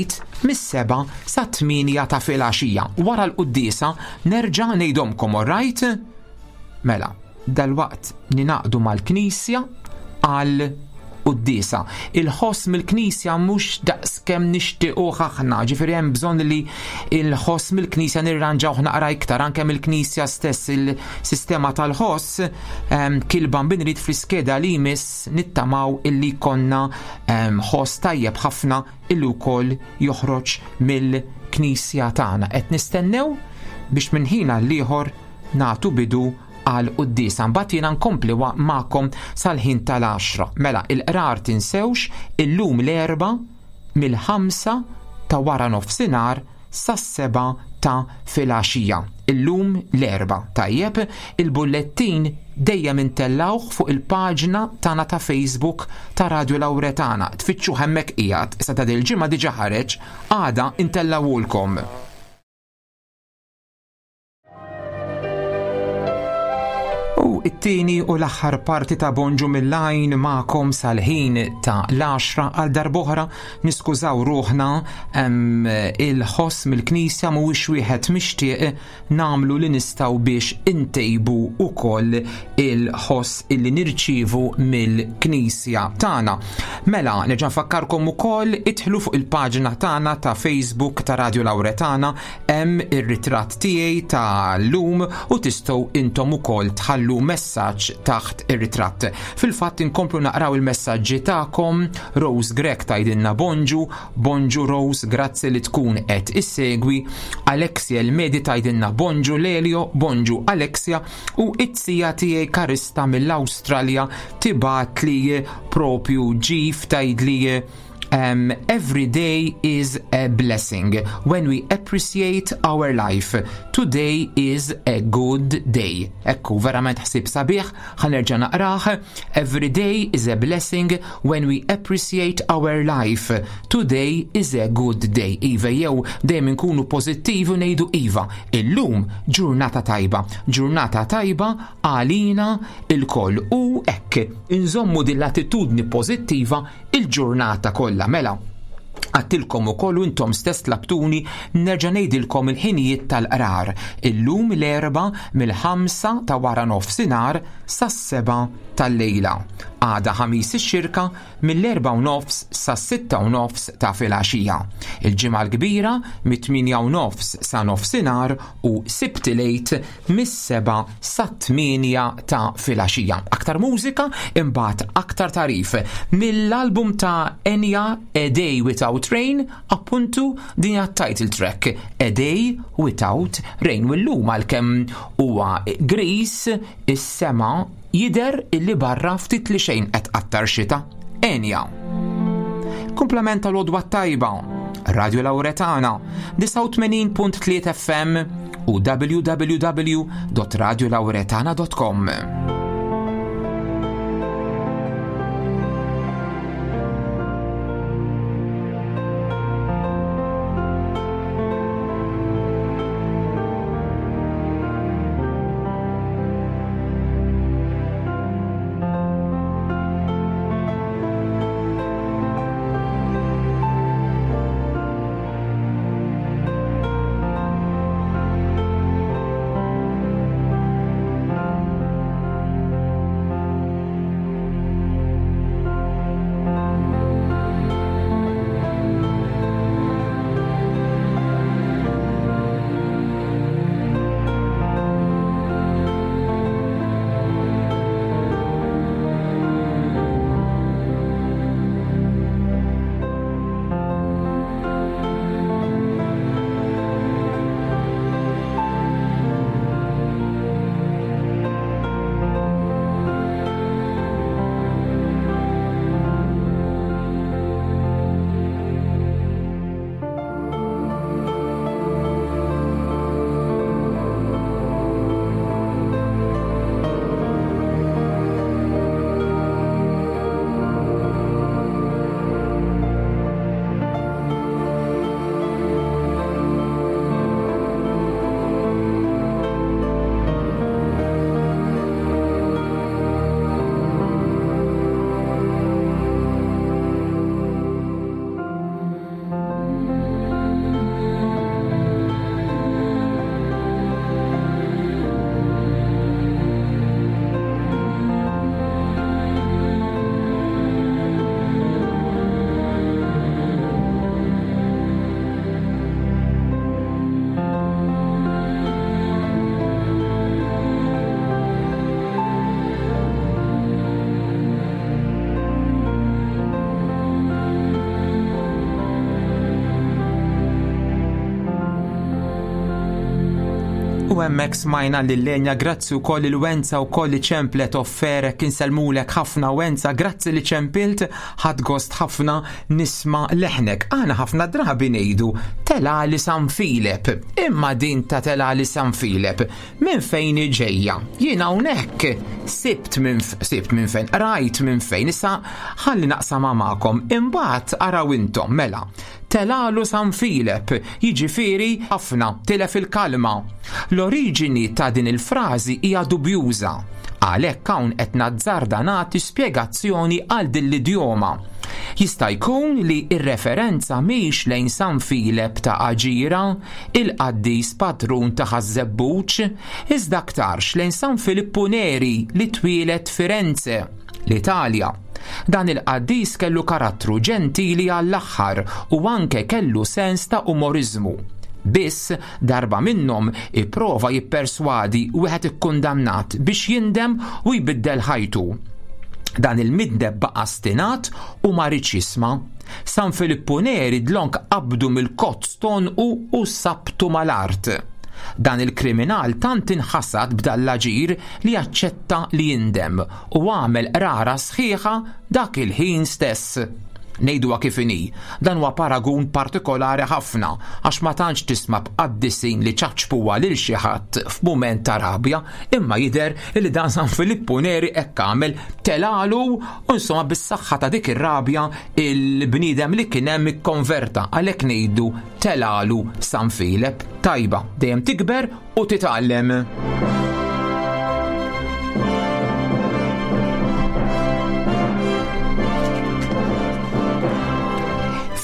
mis-7 sa 8 ta' filgħaxija. Wara l-quddiesa nerġa' ngħidhomkom, all right? Mela, dalwaqt ninaqdu mal-Knisja għal quddiesa. Il-ħoss mill-Knisja mhux daqskemm nixtiequh aħna, ġifieri hemm bżonn li il-ħoss mill-Knisja nirranġawh naqra iktar, anke mill-Knisja stess il-sistema tal-ħoss kilba binrid fl-iskeda li jmiss nittamaw illi konna ħoss tajjeb ħafna illi wkoll joħroġ mill-Knisja tagħna. Qed nistennew biex minn ħin għal ieħor nagħtu bidu għal quddiesa. Mbagħad jiena nkompli magħkom sal-ħin tal-10. Mela il-qrar tinsewx illum l-Erbgħa mill-5 ta' wara nofsinhar sas-7 ta' filgħaxija. Illum l-Erbgħa, tajjeb, il-bullettin dejjem intellgħuh fuq il-paġna tagħna ta' Facebook ta' Radju Lawretana. Tfittxuh hemmhekk qiegħed, issa ta' dil-ġimgħa diġà ħareġ, għada intellgħuhulkom. U it-tieni u l-aħħar parti ta' Bonġu mill-għajn magħkom sal-ħin ta' l-10 għal darb'oħra niskużaw ruħna il-ħoss mill-knisja mhuwiex wieħed mixtieq nagħmlu li nistgħu biex intejbu ukoll il-ħoss illi nirċievu mill-knisja tagħna. Mela, nerġa' nfakkarkom ukoll idħlu fuq il-paġna tagħna ta' Facebook ta' Radio Lauretana Hemm ir-ritratt tiegħi ta' llum u tistgħu intom ukoll tħallu messaġġ taħt ir-ritratt. Fil-fatt inkomplu naqraw il-messaġġi tagħkom. Rose Grech tgħidilna bonġu, bonġu Rose, grazzi li tkun qed issegwi. Alexia El-Medi tgħidilna bonġu Lelio, bonġu Alexia u it-tija tiegħi Karista mill-Awstralja tibgħatli propju ġif tgħidli Um, every day is a blessing when we appreciate our life. Today is a good day. Ekku, verament ħsib sabiħ, ħanerġa naqrah. Every day is a blessing when we appreciate our life. Today is a good day. Iva, jew dejjem inkunu pożittivi u ngħidu iva. Illum ġurnata tajba. Ġurnata tajba għalina il-koll. U hekk, inżommu din l-attitudni pożittiva il-ġurnata kollha mela. Għattilkom ukoll u intom stess tlabtuni nerġa' ngħidilkom il-ħinijiet tal-qrar. Illum l-Erbgħa mill-ħamsa ta' wara nofsinhar sas-sebgħa tal-lejla. Għada Ħamis ix-Xirka mill-erbgħa u nofs sas-sitta u nofs ta' filgħaxija. Il-Ġimgħa l-Kbira mit-tmienja u nofs sa nofsinhar u Sibt il-Għid mis-sebgħa sat-tmienja ta' filgħaxija. Aktar mużika, imbagħad aktar tagħrif. Mill-album ta' Enya A Day Without Rain, appuntu din hija title track A Day Without Rain. U llum għalkemm huwa gris is-sema jidher illi barra ftit li xejn qed tqattar xita. Enya. Kumplament tal-għodwa t-tajba. Radio Lauretana, 89.3 FM u www.radiolauretana.com. U hemmhekk smajna lil Lenja, grazzi wkoll lil Wenza wkoll li ċemplet offerek, insellmulek ħafna Wenza, grazzi li ċempilt, ħadt gost ħafna nisma' leħnek. Aħna ħafna drabi ngħidu telali San Filep, imma din ta' telali San Filep minn fejn hi ġejja? Jien hawnhekk sibt minn sibt minn fejn, rajt minn fejn, issa ħalli naqsamha magħkom, imbagħad araw intom mela. Telalu San Filep, jiġifieri ħafna, tilef il-kalma. L-oriġini ta' din il-frażi hija dubjuża. Għalhekk hawn qed nazzarda nagħti spjegazzjoni għal din l-idjoma. Jista' jkun li r-referenza mhix lejn San Filep ta' Aġira, il-qaddis patrun ta' Ħaż-Żebbuġ, iżda aktarx lejn San Filippu Neri li twieled Firenze, l-Italja. Dan il-qaddis kellu karattru ġentili għall-aħħar u anke kellu sens ta' umoriżmu. Biss, darba minnhom ipprova jipperswadi wieħed ikkundannat biex jindem u jbiddel ħajtu. Dan il-midneb baqa' stinat u ma riedx jisma'. San Filippu Neri dlonk qabdu mill-kozz t'għonqu u sabtu mal-art. Dan il-kriminal tant inħasad b'dan l-aġir li aċċetta li jindem u għamel qrara sħiħa dak il-ħin stess. Ngħiduha kif inhi, dan huwa paragun partikolari ħafna għax ma tantx tisma' b'qaddisin li ċaċpuha lil xi ħadd f'mument ta' rabja, imma jidher li dan San Filippu Neri hekk għamel, telgħalu u insomma bis-saħħa ta' dik ir-rabja il-bniedem li kien hemm ikkonverta għalhekk ngħidu telgħalu San Filep. Tajba, dejjem tikber u titgħallem.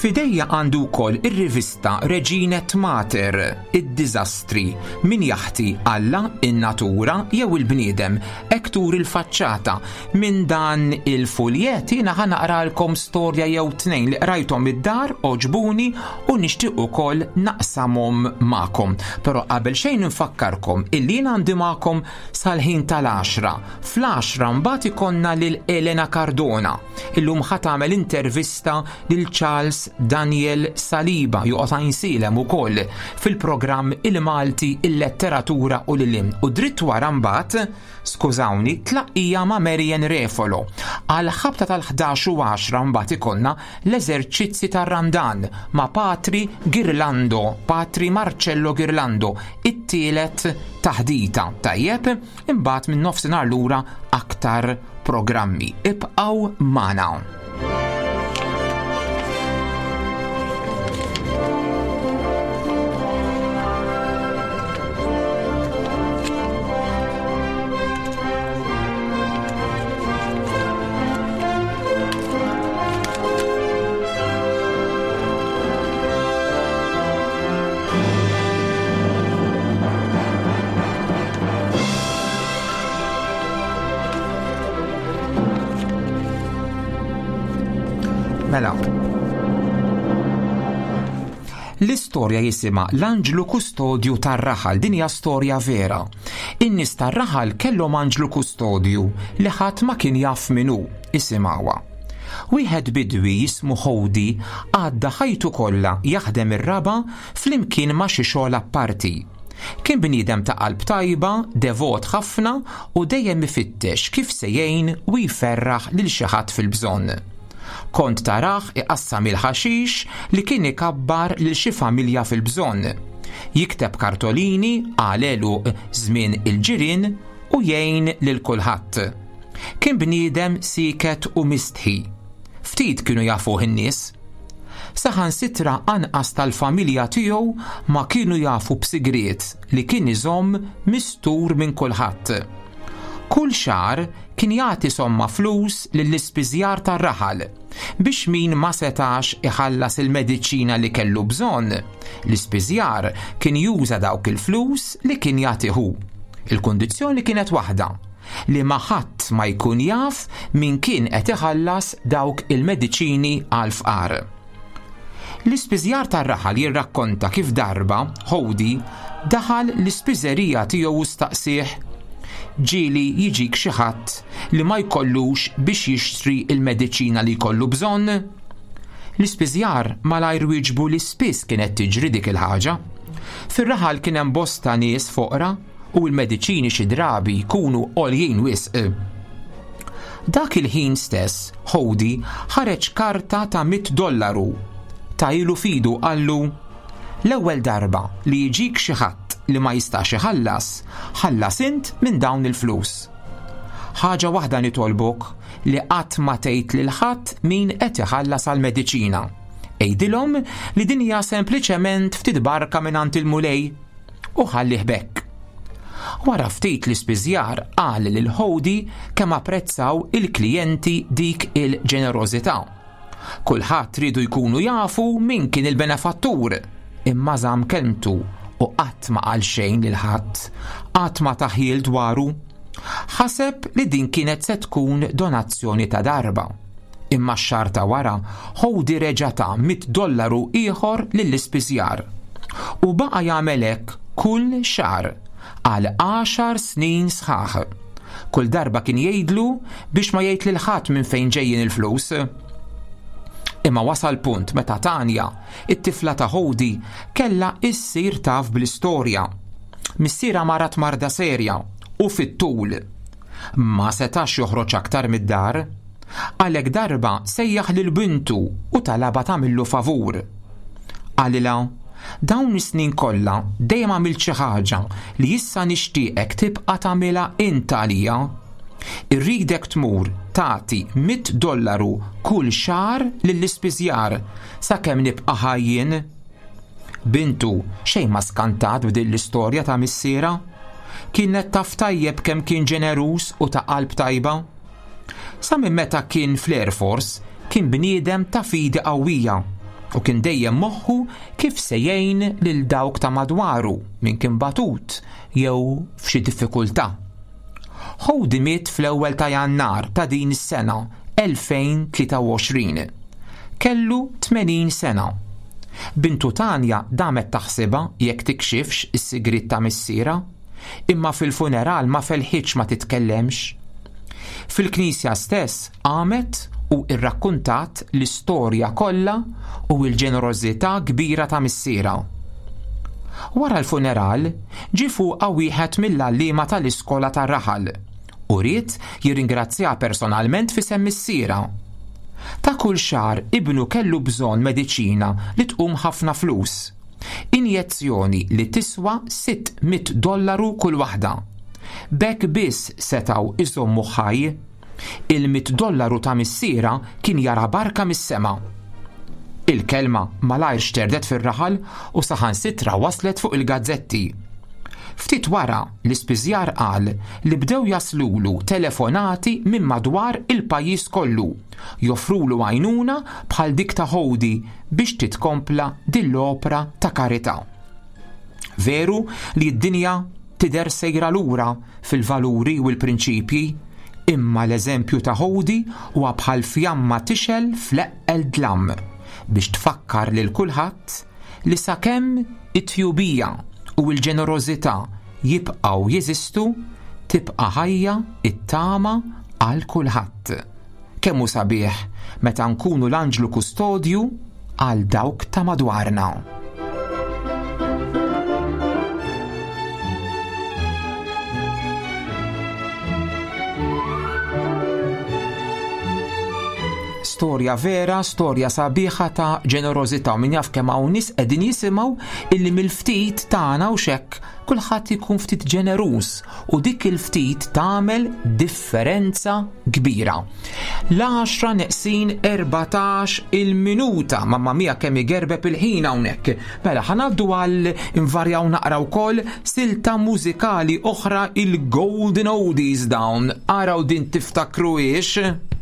F'idejja għandu wkoll ir-rivista Reginet Mater, id-diżastri, min jaħti Alla, in-natura jew il-bniedem, hekk turi l-faċċata. Minn dan il-fuljett jiena ħa naqralkom storja jew tnejn li qrajthom id-dar, għoġbuni u nixtieq ukoll naqsamhom magħkom. Però qabel xejn infakkarkom illi jien għandi magħkom sal-ħin tal-għaxra. Fl-għaxra mbagħad ikollna lil Elena Cardona. Illum ħa tagħmel intervista lil Charles Daniel Saliba joqgħod Għajnsielem ukoll fil-programm Il-Malti, il-Letteratura u l-Ilm. U dritt wara mbagħad skużawni, tlaqqija ma' Marian Refolo. Għal ħabta tal-11 u 10 mbagħad ikollna l-eżerċizzi tar-Randan ma' Patri Girlando, Patri Marcello Girlando, it-tielet taħdita. Tajjeb, imbagħad minn nofsinhar lura aktar programmi. Ibqgħu magħna. Mela. L-istorja jisimha L-Anġlu Kustodju tar-Raħal. Din hija storja vera. In-nies tar-raħal kellhom anġlu kustodju li ħadd ma kien jaf min hu. Isimgħuha. Wieħed bidwi jismu Hody għadda ħajtu kollha jaħdem ir-raba' flimkien ma' xi xogħol apparti. Kien bniedem ta' qalb tajba, devot ħafna u dejjem ifittex kif se jgħin u jferraħ lil xi ħadd fil-bżonn. Kont tarah iqassam il-ħaxix li kien ikabbar lil xi familja fil-bżonn. Jikteb kartolini għal għeluq żmien il-ġirien u jgħin lil kulħadd. Kien bniedem sieket u mistħi. Ftit kienu jafuh in-nies. Saħansitra anqas tal-familja tiegħu ma kienu jafu b'sigriet li kien iżomm mistur minn kulħadd. Kull xahar kien jagħti somma flus lill-ispiżjar tar-raħal biex min ma setax iħallas il-mediċina li kellu bżonn, l-ispiżjar kien juża dawk il-flus li kien jagħti hu. Il-kundizzjoni kienet waħda, li ma ħadd ma jkun jaf min kien qed iħallas dawk il-mediċini għall-fqar. L-ispiżjar tar-raħal jirrakkonta kif darba Hody daħal l-ispiżerija tiegħu u staqsieh, Ġieli jiġik xi ħadd li ma jkollux biex jixtri l-mediċina li jkollu bżonn? L-ispiżjar malajr wieġbu li spiss kienet tiġri dik il-ħaġa. Fir-raħal kien hemm bosta nies foqra u l-mediċini xi drabi jkunu għoljin wisq. Dak il-ħin stess, Hody ħareġ karta ta' $100. Tahielu f'idu qallu, L-ewwel darba li jiġik xi ħadd li ma jistax iħallas, ħallas int minn dawn il-flus. Ħaġa waħda nitolbok li qatt ma tgħid lil ħadd min qed iħallas għall-mediċina. Għidilhom li din hija sempliċement ftit barka mingħand il-Mulej u ħallih b'hekk. Wara ftit l-ispiżjar qal lil Hody kemm apprezzaw il-klijenti dik il-ġenerożità. Kulħadd riedu jkunu jafu min kien il-benefattur, imma żamm kelmtu u qatt ma qal xejn lil ħadd, qatt ma ta ħjiel dwaru. Ħaseb li din kienet se tkun donazzjoni ta' darba. Imma x-xahar ta' wara, Hody reġa' ta $100 ieħor lill-ispiżjar. U baqa' jagħmel hekk kull xahar għal għaxar snin sħaħ. Kull darba kien jgħidlu biex ma jgħid lil ħadd minn fejn ġejjin il-flus. Imma wasal punt meta Tanja, it-tifla ta' Hody, kellha issir taf bl-istorja. Missierha marad marda serja u fit-tul. Ma setax joħroġ aktar mid-dar. Għalhekk darba sejjaħ lil bintu u talabha tagħmillu favur. Qalilha, Dawn is-snin kollha dejjem għamilt xi ħaġa li issa nixtieqek tibqa' tagħmilha int għalija. Irridek tmur tagħti $100 kull xahar lill-ispiżjar sakemm nibqa' ħaj jien. Bintu xejn ma skantat b'din l-istorja ta' missierha. Kienet taf tajjeb kemm kien ġeneruż u ta' qalb tajba. Sa minn meta kien fl-Air Force kien bniedem ta' fidi qawwija u kien dejjem moħħu kif se jgħin lil dawk ta' madwaru min kien batut jew f'xi diffikultà. Hody miet fl-ewwel ta' Jannar ta' din is-sena 2023. Kellu 80 sena. Bintu Tanja damet taħsibha jekk tikxifx is-sigriet ta' missierha, imma fil-funeral ma felħitx ma titkellemx. Fil-knisja stess qamet u rrakkuntat l-istorja kollha u l-ġenerożità kbira ta' missierha. Wara l-funeral, ġie fuqha wieħed mill-għalliema tal-iskola tar-raħal u ried jirringrazzjaha personalment f'isem missierha. Ta' kull xahar ibnu kellu bżonn mediċina li tqum ħafna flus. Injezzjoni li tiswa $600 kull waħda. B'hekk biss setgħu jżommuh ħaj. Il-$100 ta' missierha kien jara barka mis-sema. Il-kelma malajr xterdet fir-raħal u saħansitra waslet fuq il-gazzetti. Ftit wara, l-ispiżjar qal li bdew jaslulu telefonati minn madwar il-pajjiż kollu, joffrulu għajnuna bħal dik ta' Hody biex titkompla din l-opra ta' karità. Veru li d-dinja tidher sejra lura fil-valuri u l-prinċipji, imma l-eżempju ta' Hody huwa bħal fjamma tixgħel fl-eqqel dlam biex tfakkar lil kulħadd li sakemm it-tjubija u l-ġenerożità jibqgħu jeżistu, tibqa' ħajja t-tama għal kulħadd. Kemm hu sabiħ meta nkunu l-anġlu kustodju għal dawk ta' madwarna. Storja vera, storja sabiħa ta' ġenerożità u min jaf kemm hawn nies qegħdin jisimgħu illi mill-ftit tagħna u xekk kulħadd ikun ftit ġeneruż u dik il-ftit tagħmel differenza kbira. L-10 neqsin 14 il-minuta, mamma mia kemm igerbeb il-ħin hawnhekk. Mela ħanaddu għal invarjaw naqra wkoll silta mużikali oħra il-Golden Oldies dawn. Araw din tiftakruhiex.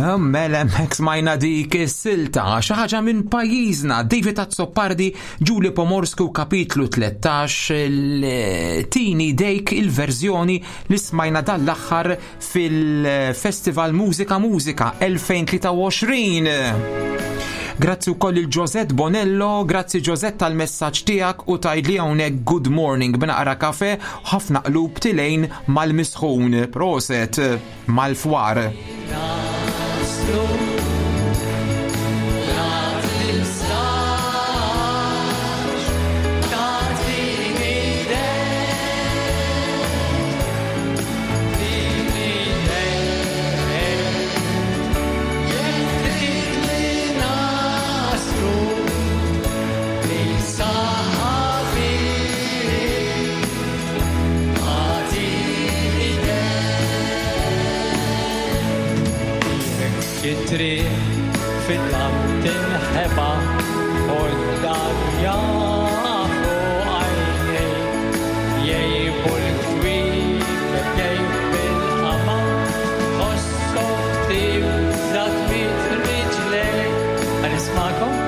Mela hemmhekk smajna dik is-silta, xi ħaġa minn pajjiżna, David Azzopardi, Ġuli Pomorsku kapitlu 13, il-Tini Dejk il-verżjoni li smajna dal-aħħar fil-Festival Mużika Mużika 2023. Grazzi wkoll il Josette Bonello, grazzi Josette tal-messaġġ tiegħek u tgħidli hawnhekk good morning b'naqra kafe ħafna qlub tilejn mal-misħun. Proset. Mal-fwar. It-triq fid-dlam tinħeba u d-dar jafu għajnej jgħibu l-kwiekeb jgħib il-qamar ħossom tibda tmit riġlej. Għan nismakom?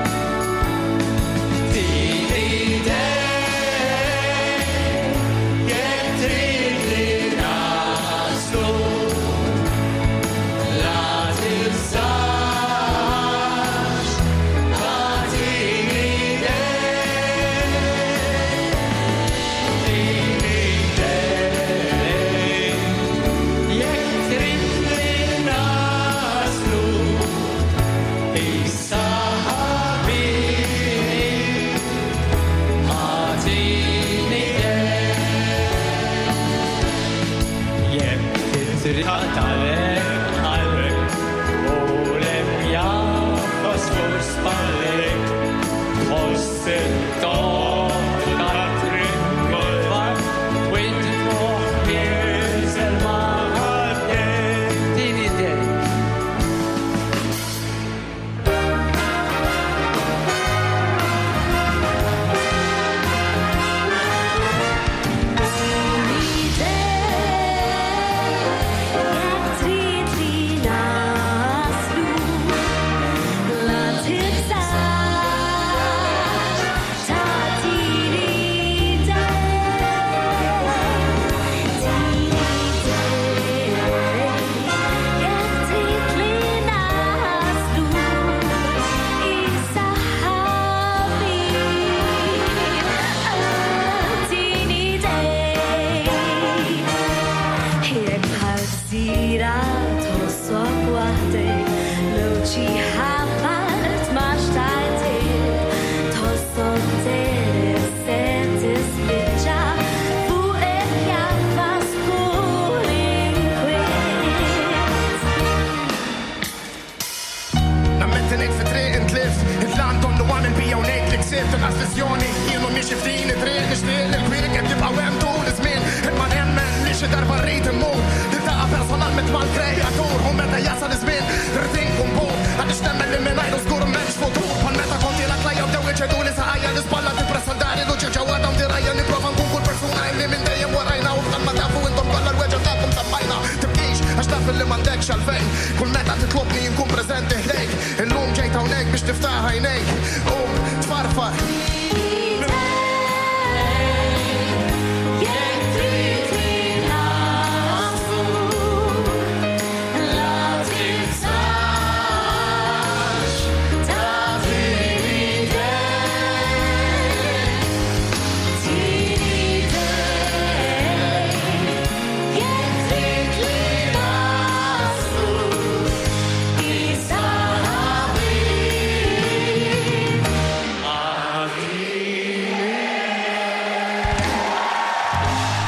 Nammetti ngħid fi triq intlift, intlant donnu għamil bija u ngħid li ksibt inqas viżjoni, jien u miexi f'din it-triq nixtieq li l-kwiekeb jibqgħu hemm tul iż-żmien, imma nemmen li xi darba rrid immur niltaqa' personalment mal-kreatur u meta jasal iż-żmien rrid inkun pur għaliex nemmen li mingħajru żgur m'hemmx futur bħal meta kont jiena tlajja bdew iċeduli saqajja l-ispalla tippressa dari l-uċieħ ġewwa dawn dirgħajja nipprova nkun kull persuna illi minn dejjem warajna u bħalma tafu intom kollha l-weġgħa tagħkom semmajna tibkix għax taf illi m'għandekx għalfejn kull meta titlobni inkun preżenti ħdejk illum ġejt hawnhekk biex tiftaħ għajnejk qum tfarfar.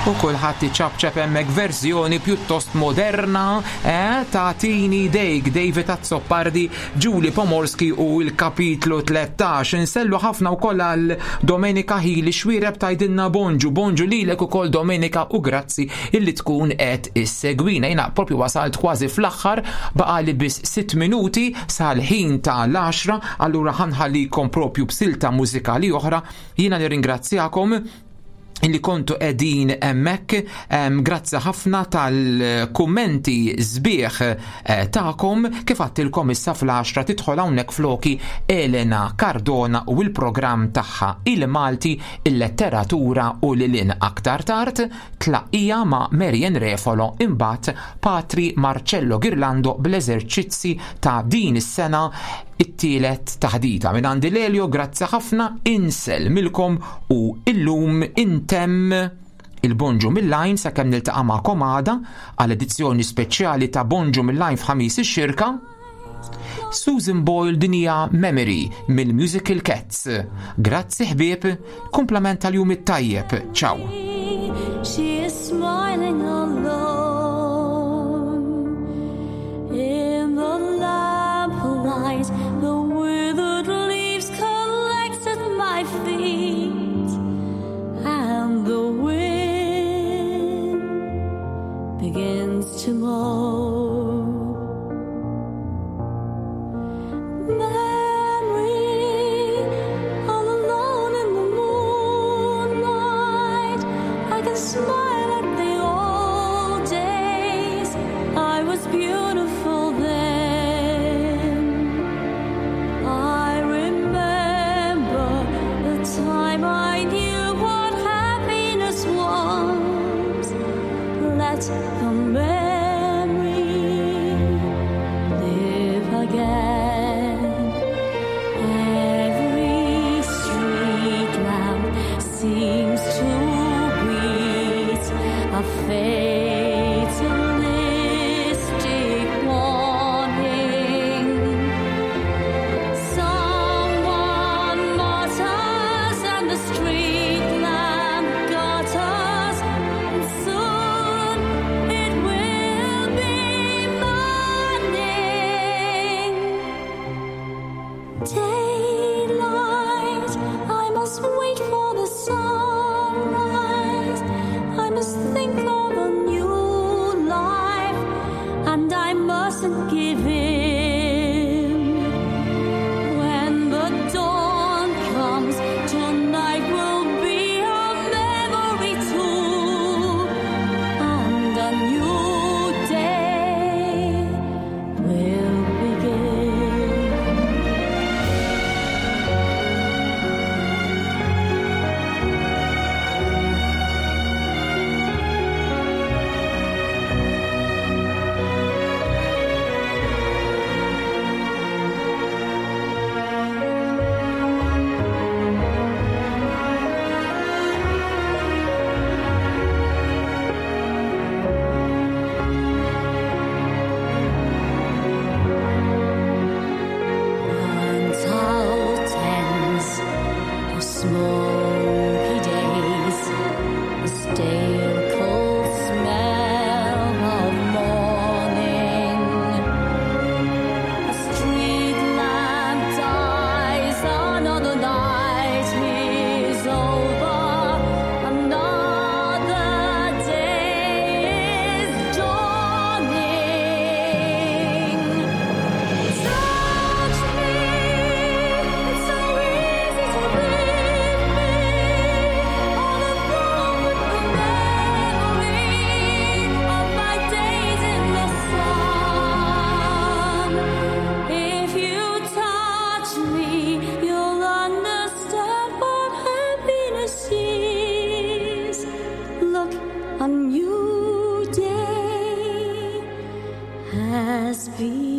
U kulħadd iċapċap hemmhekk verżjoni pjuttost moderna eh, ta' Tini Dejk, David Azzopardi, Julie Pomorski u l-kapitlu 13. Insellu ħafna wkoll għal Domenica Hili xwireb tajdinna bonġu, bonġu lilek ukoll Domenica u grazzi illi tkun qed issegwina. Jiena propju wasalt kważi fl-aħħar baqali biss 6 minuti sal-ħin ta' l-10, allura ħanħallikom propju b'silta mużikali oħra. Jiena nirringrazzjakom. Illi kontu qegħdin hemmhekk, grazzi ħafna tal-kummenti sbieħ eh, tagħkom. Kif għattilkom issa fl-10 tidħol hawnhekk floki Elena Cardona u l-programm tagħha il-Malti, il-letteratura u lilin. Aktar tard tlaqija ma' Marian Refolo, imbagħad Patri Marcello Girlando bl-eżerċizzi ta' din is-sena, it-tielet taħdita. Minn għandi Lelio, grazzi ħafna, insellmilkom u illum intemm il-Bonġu mill-Lajn sakemm niltaqa' magħkom għada għal edizzjoni speċjali ta' Bonġu mill-Lajn f'Ħamis ix-Xirka. Susan Boyle din hija Memory mill-Musical Cats. Grazzi ħbieb, kumplament tal-jum it-tajjeb. Ciao. She is smiling alone in the lamplight, the withered leaves collect at my feet, and the wind begins to moan. Memory, all alone in the moonlight, I can smile at the old days. I was beautiful then. I remember the time I knew what happiness was. Let the memory live again. Every street lamp seems to beat a fatalistic warning. Someone mutters and the street lamp gutters, and soon it will be morning. Daylight, I must wait for the sunrise. I must think of a new life, and I mustn't give in. When the dawn comes, tonight will be a memory too, and a new day will begin. Burnt out ends of smoky days, the stale cold smell of morning. A street lamp dies, another night is over, another day is dawning. Touch me, it's so easy to leave me all alone with the memory of my days in the sun. If you touch me, you'll understand what happiness is. Look, a new day has begun.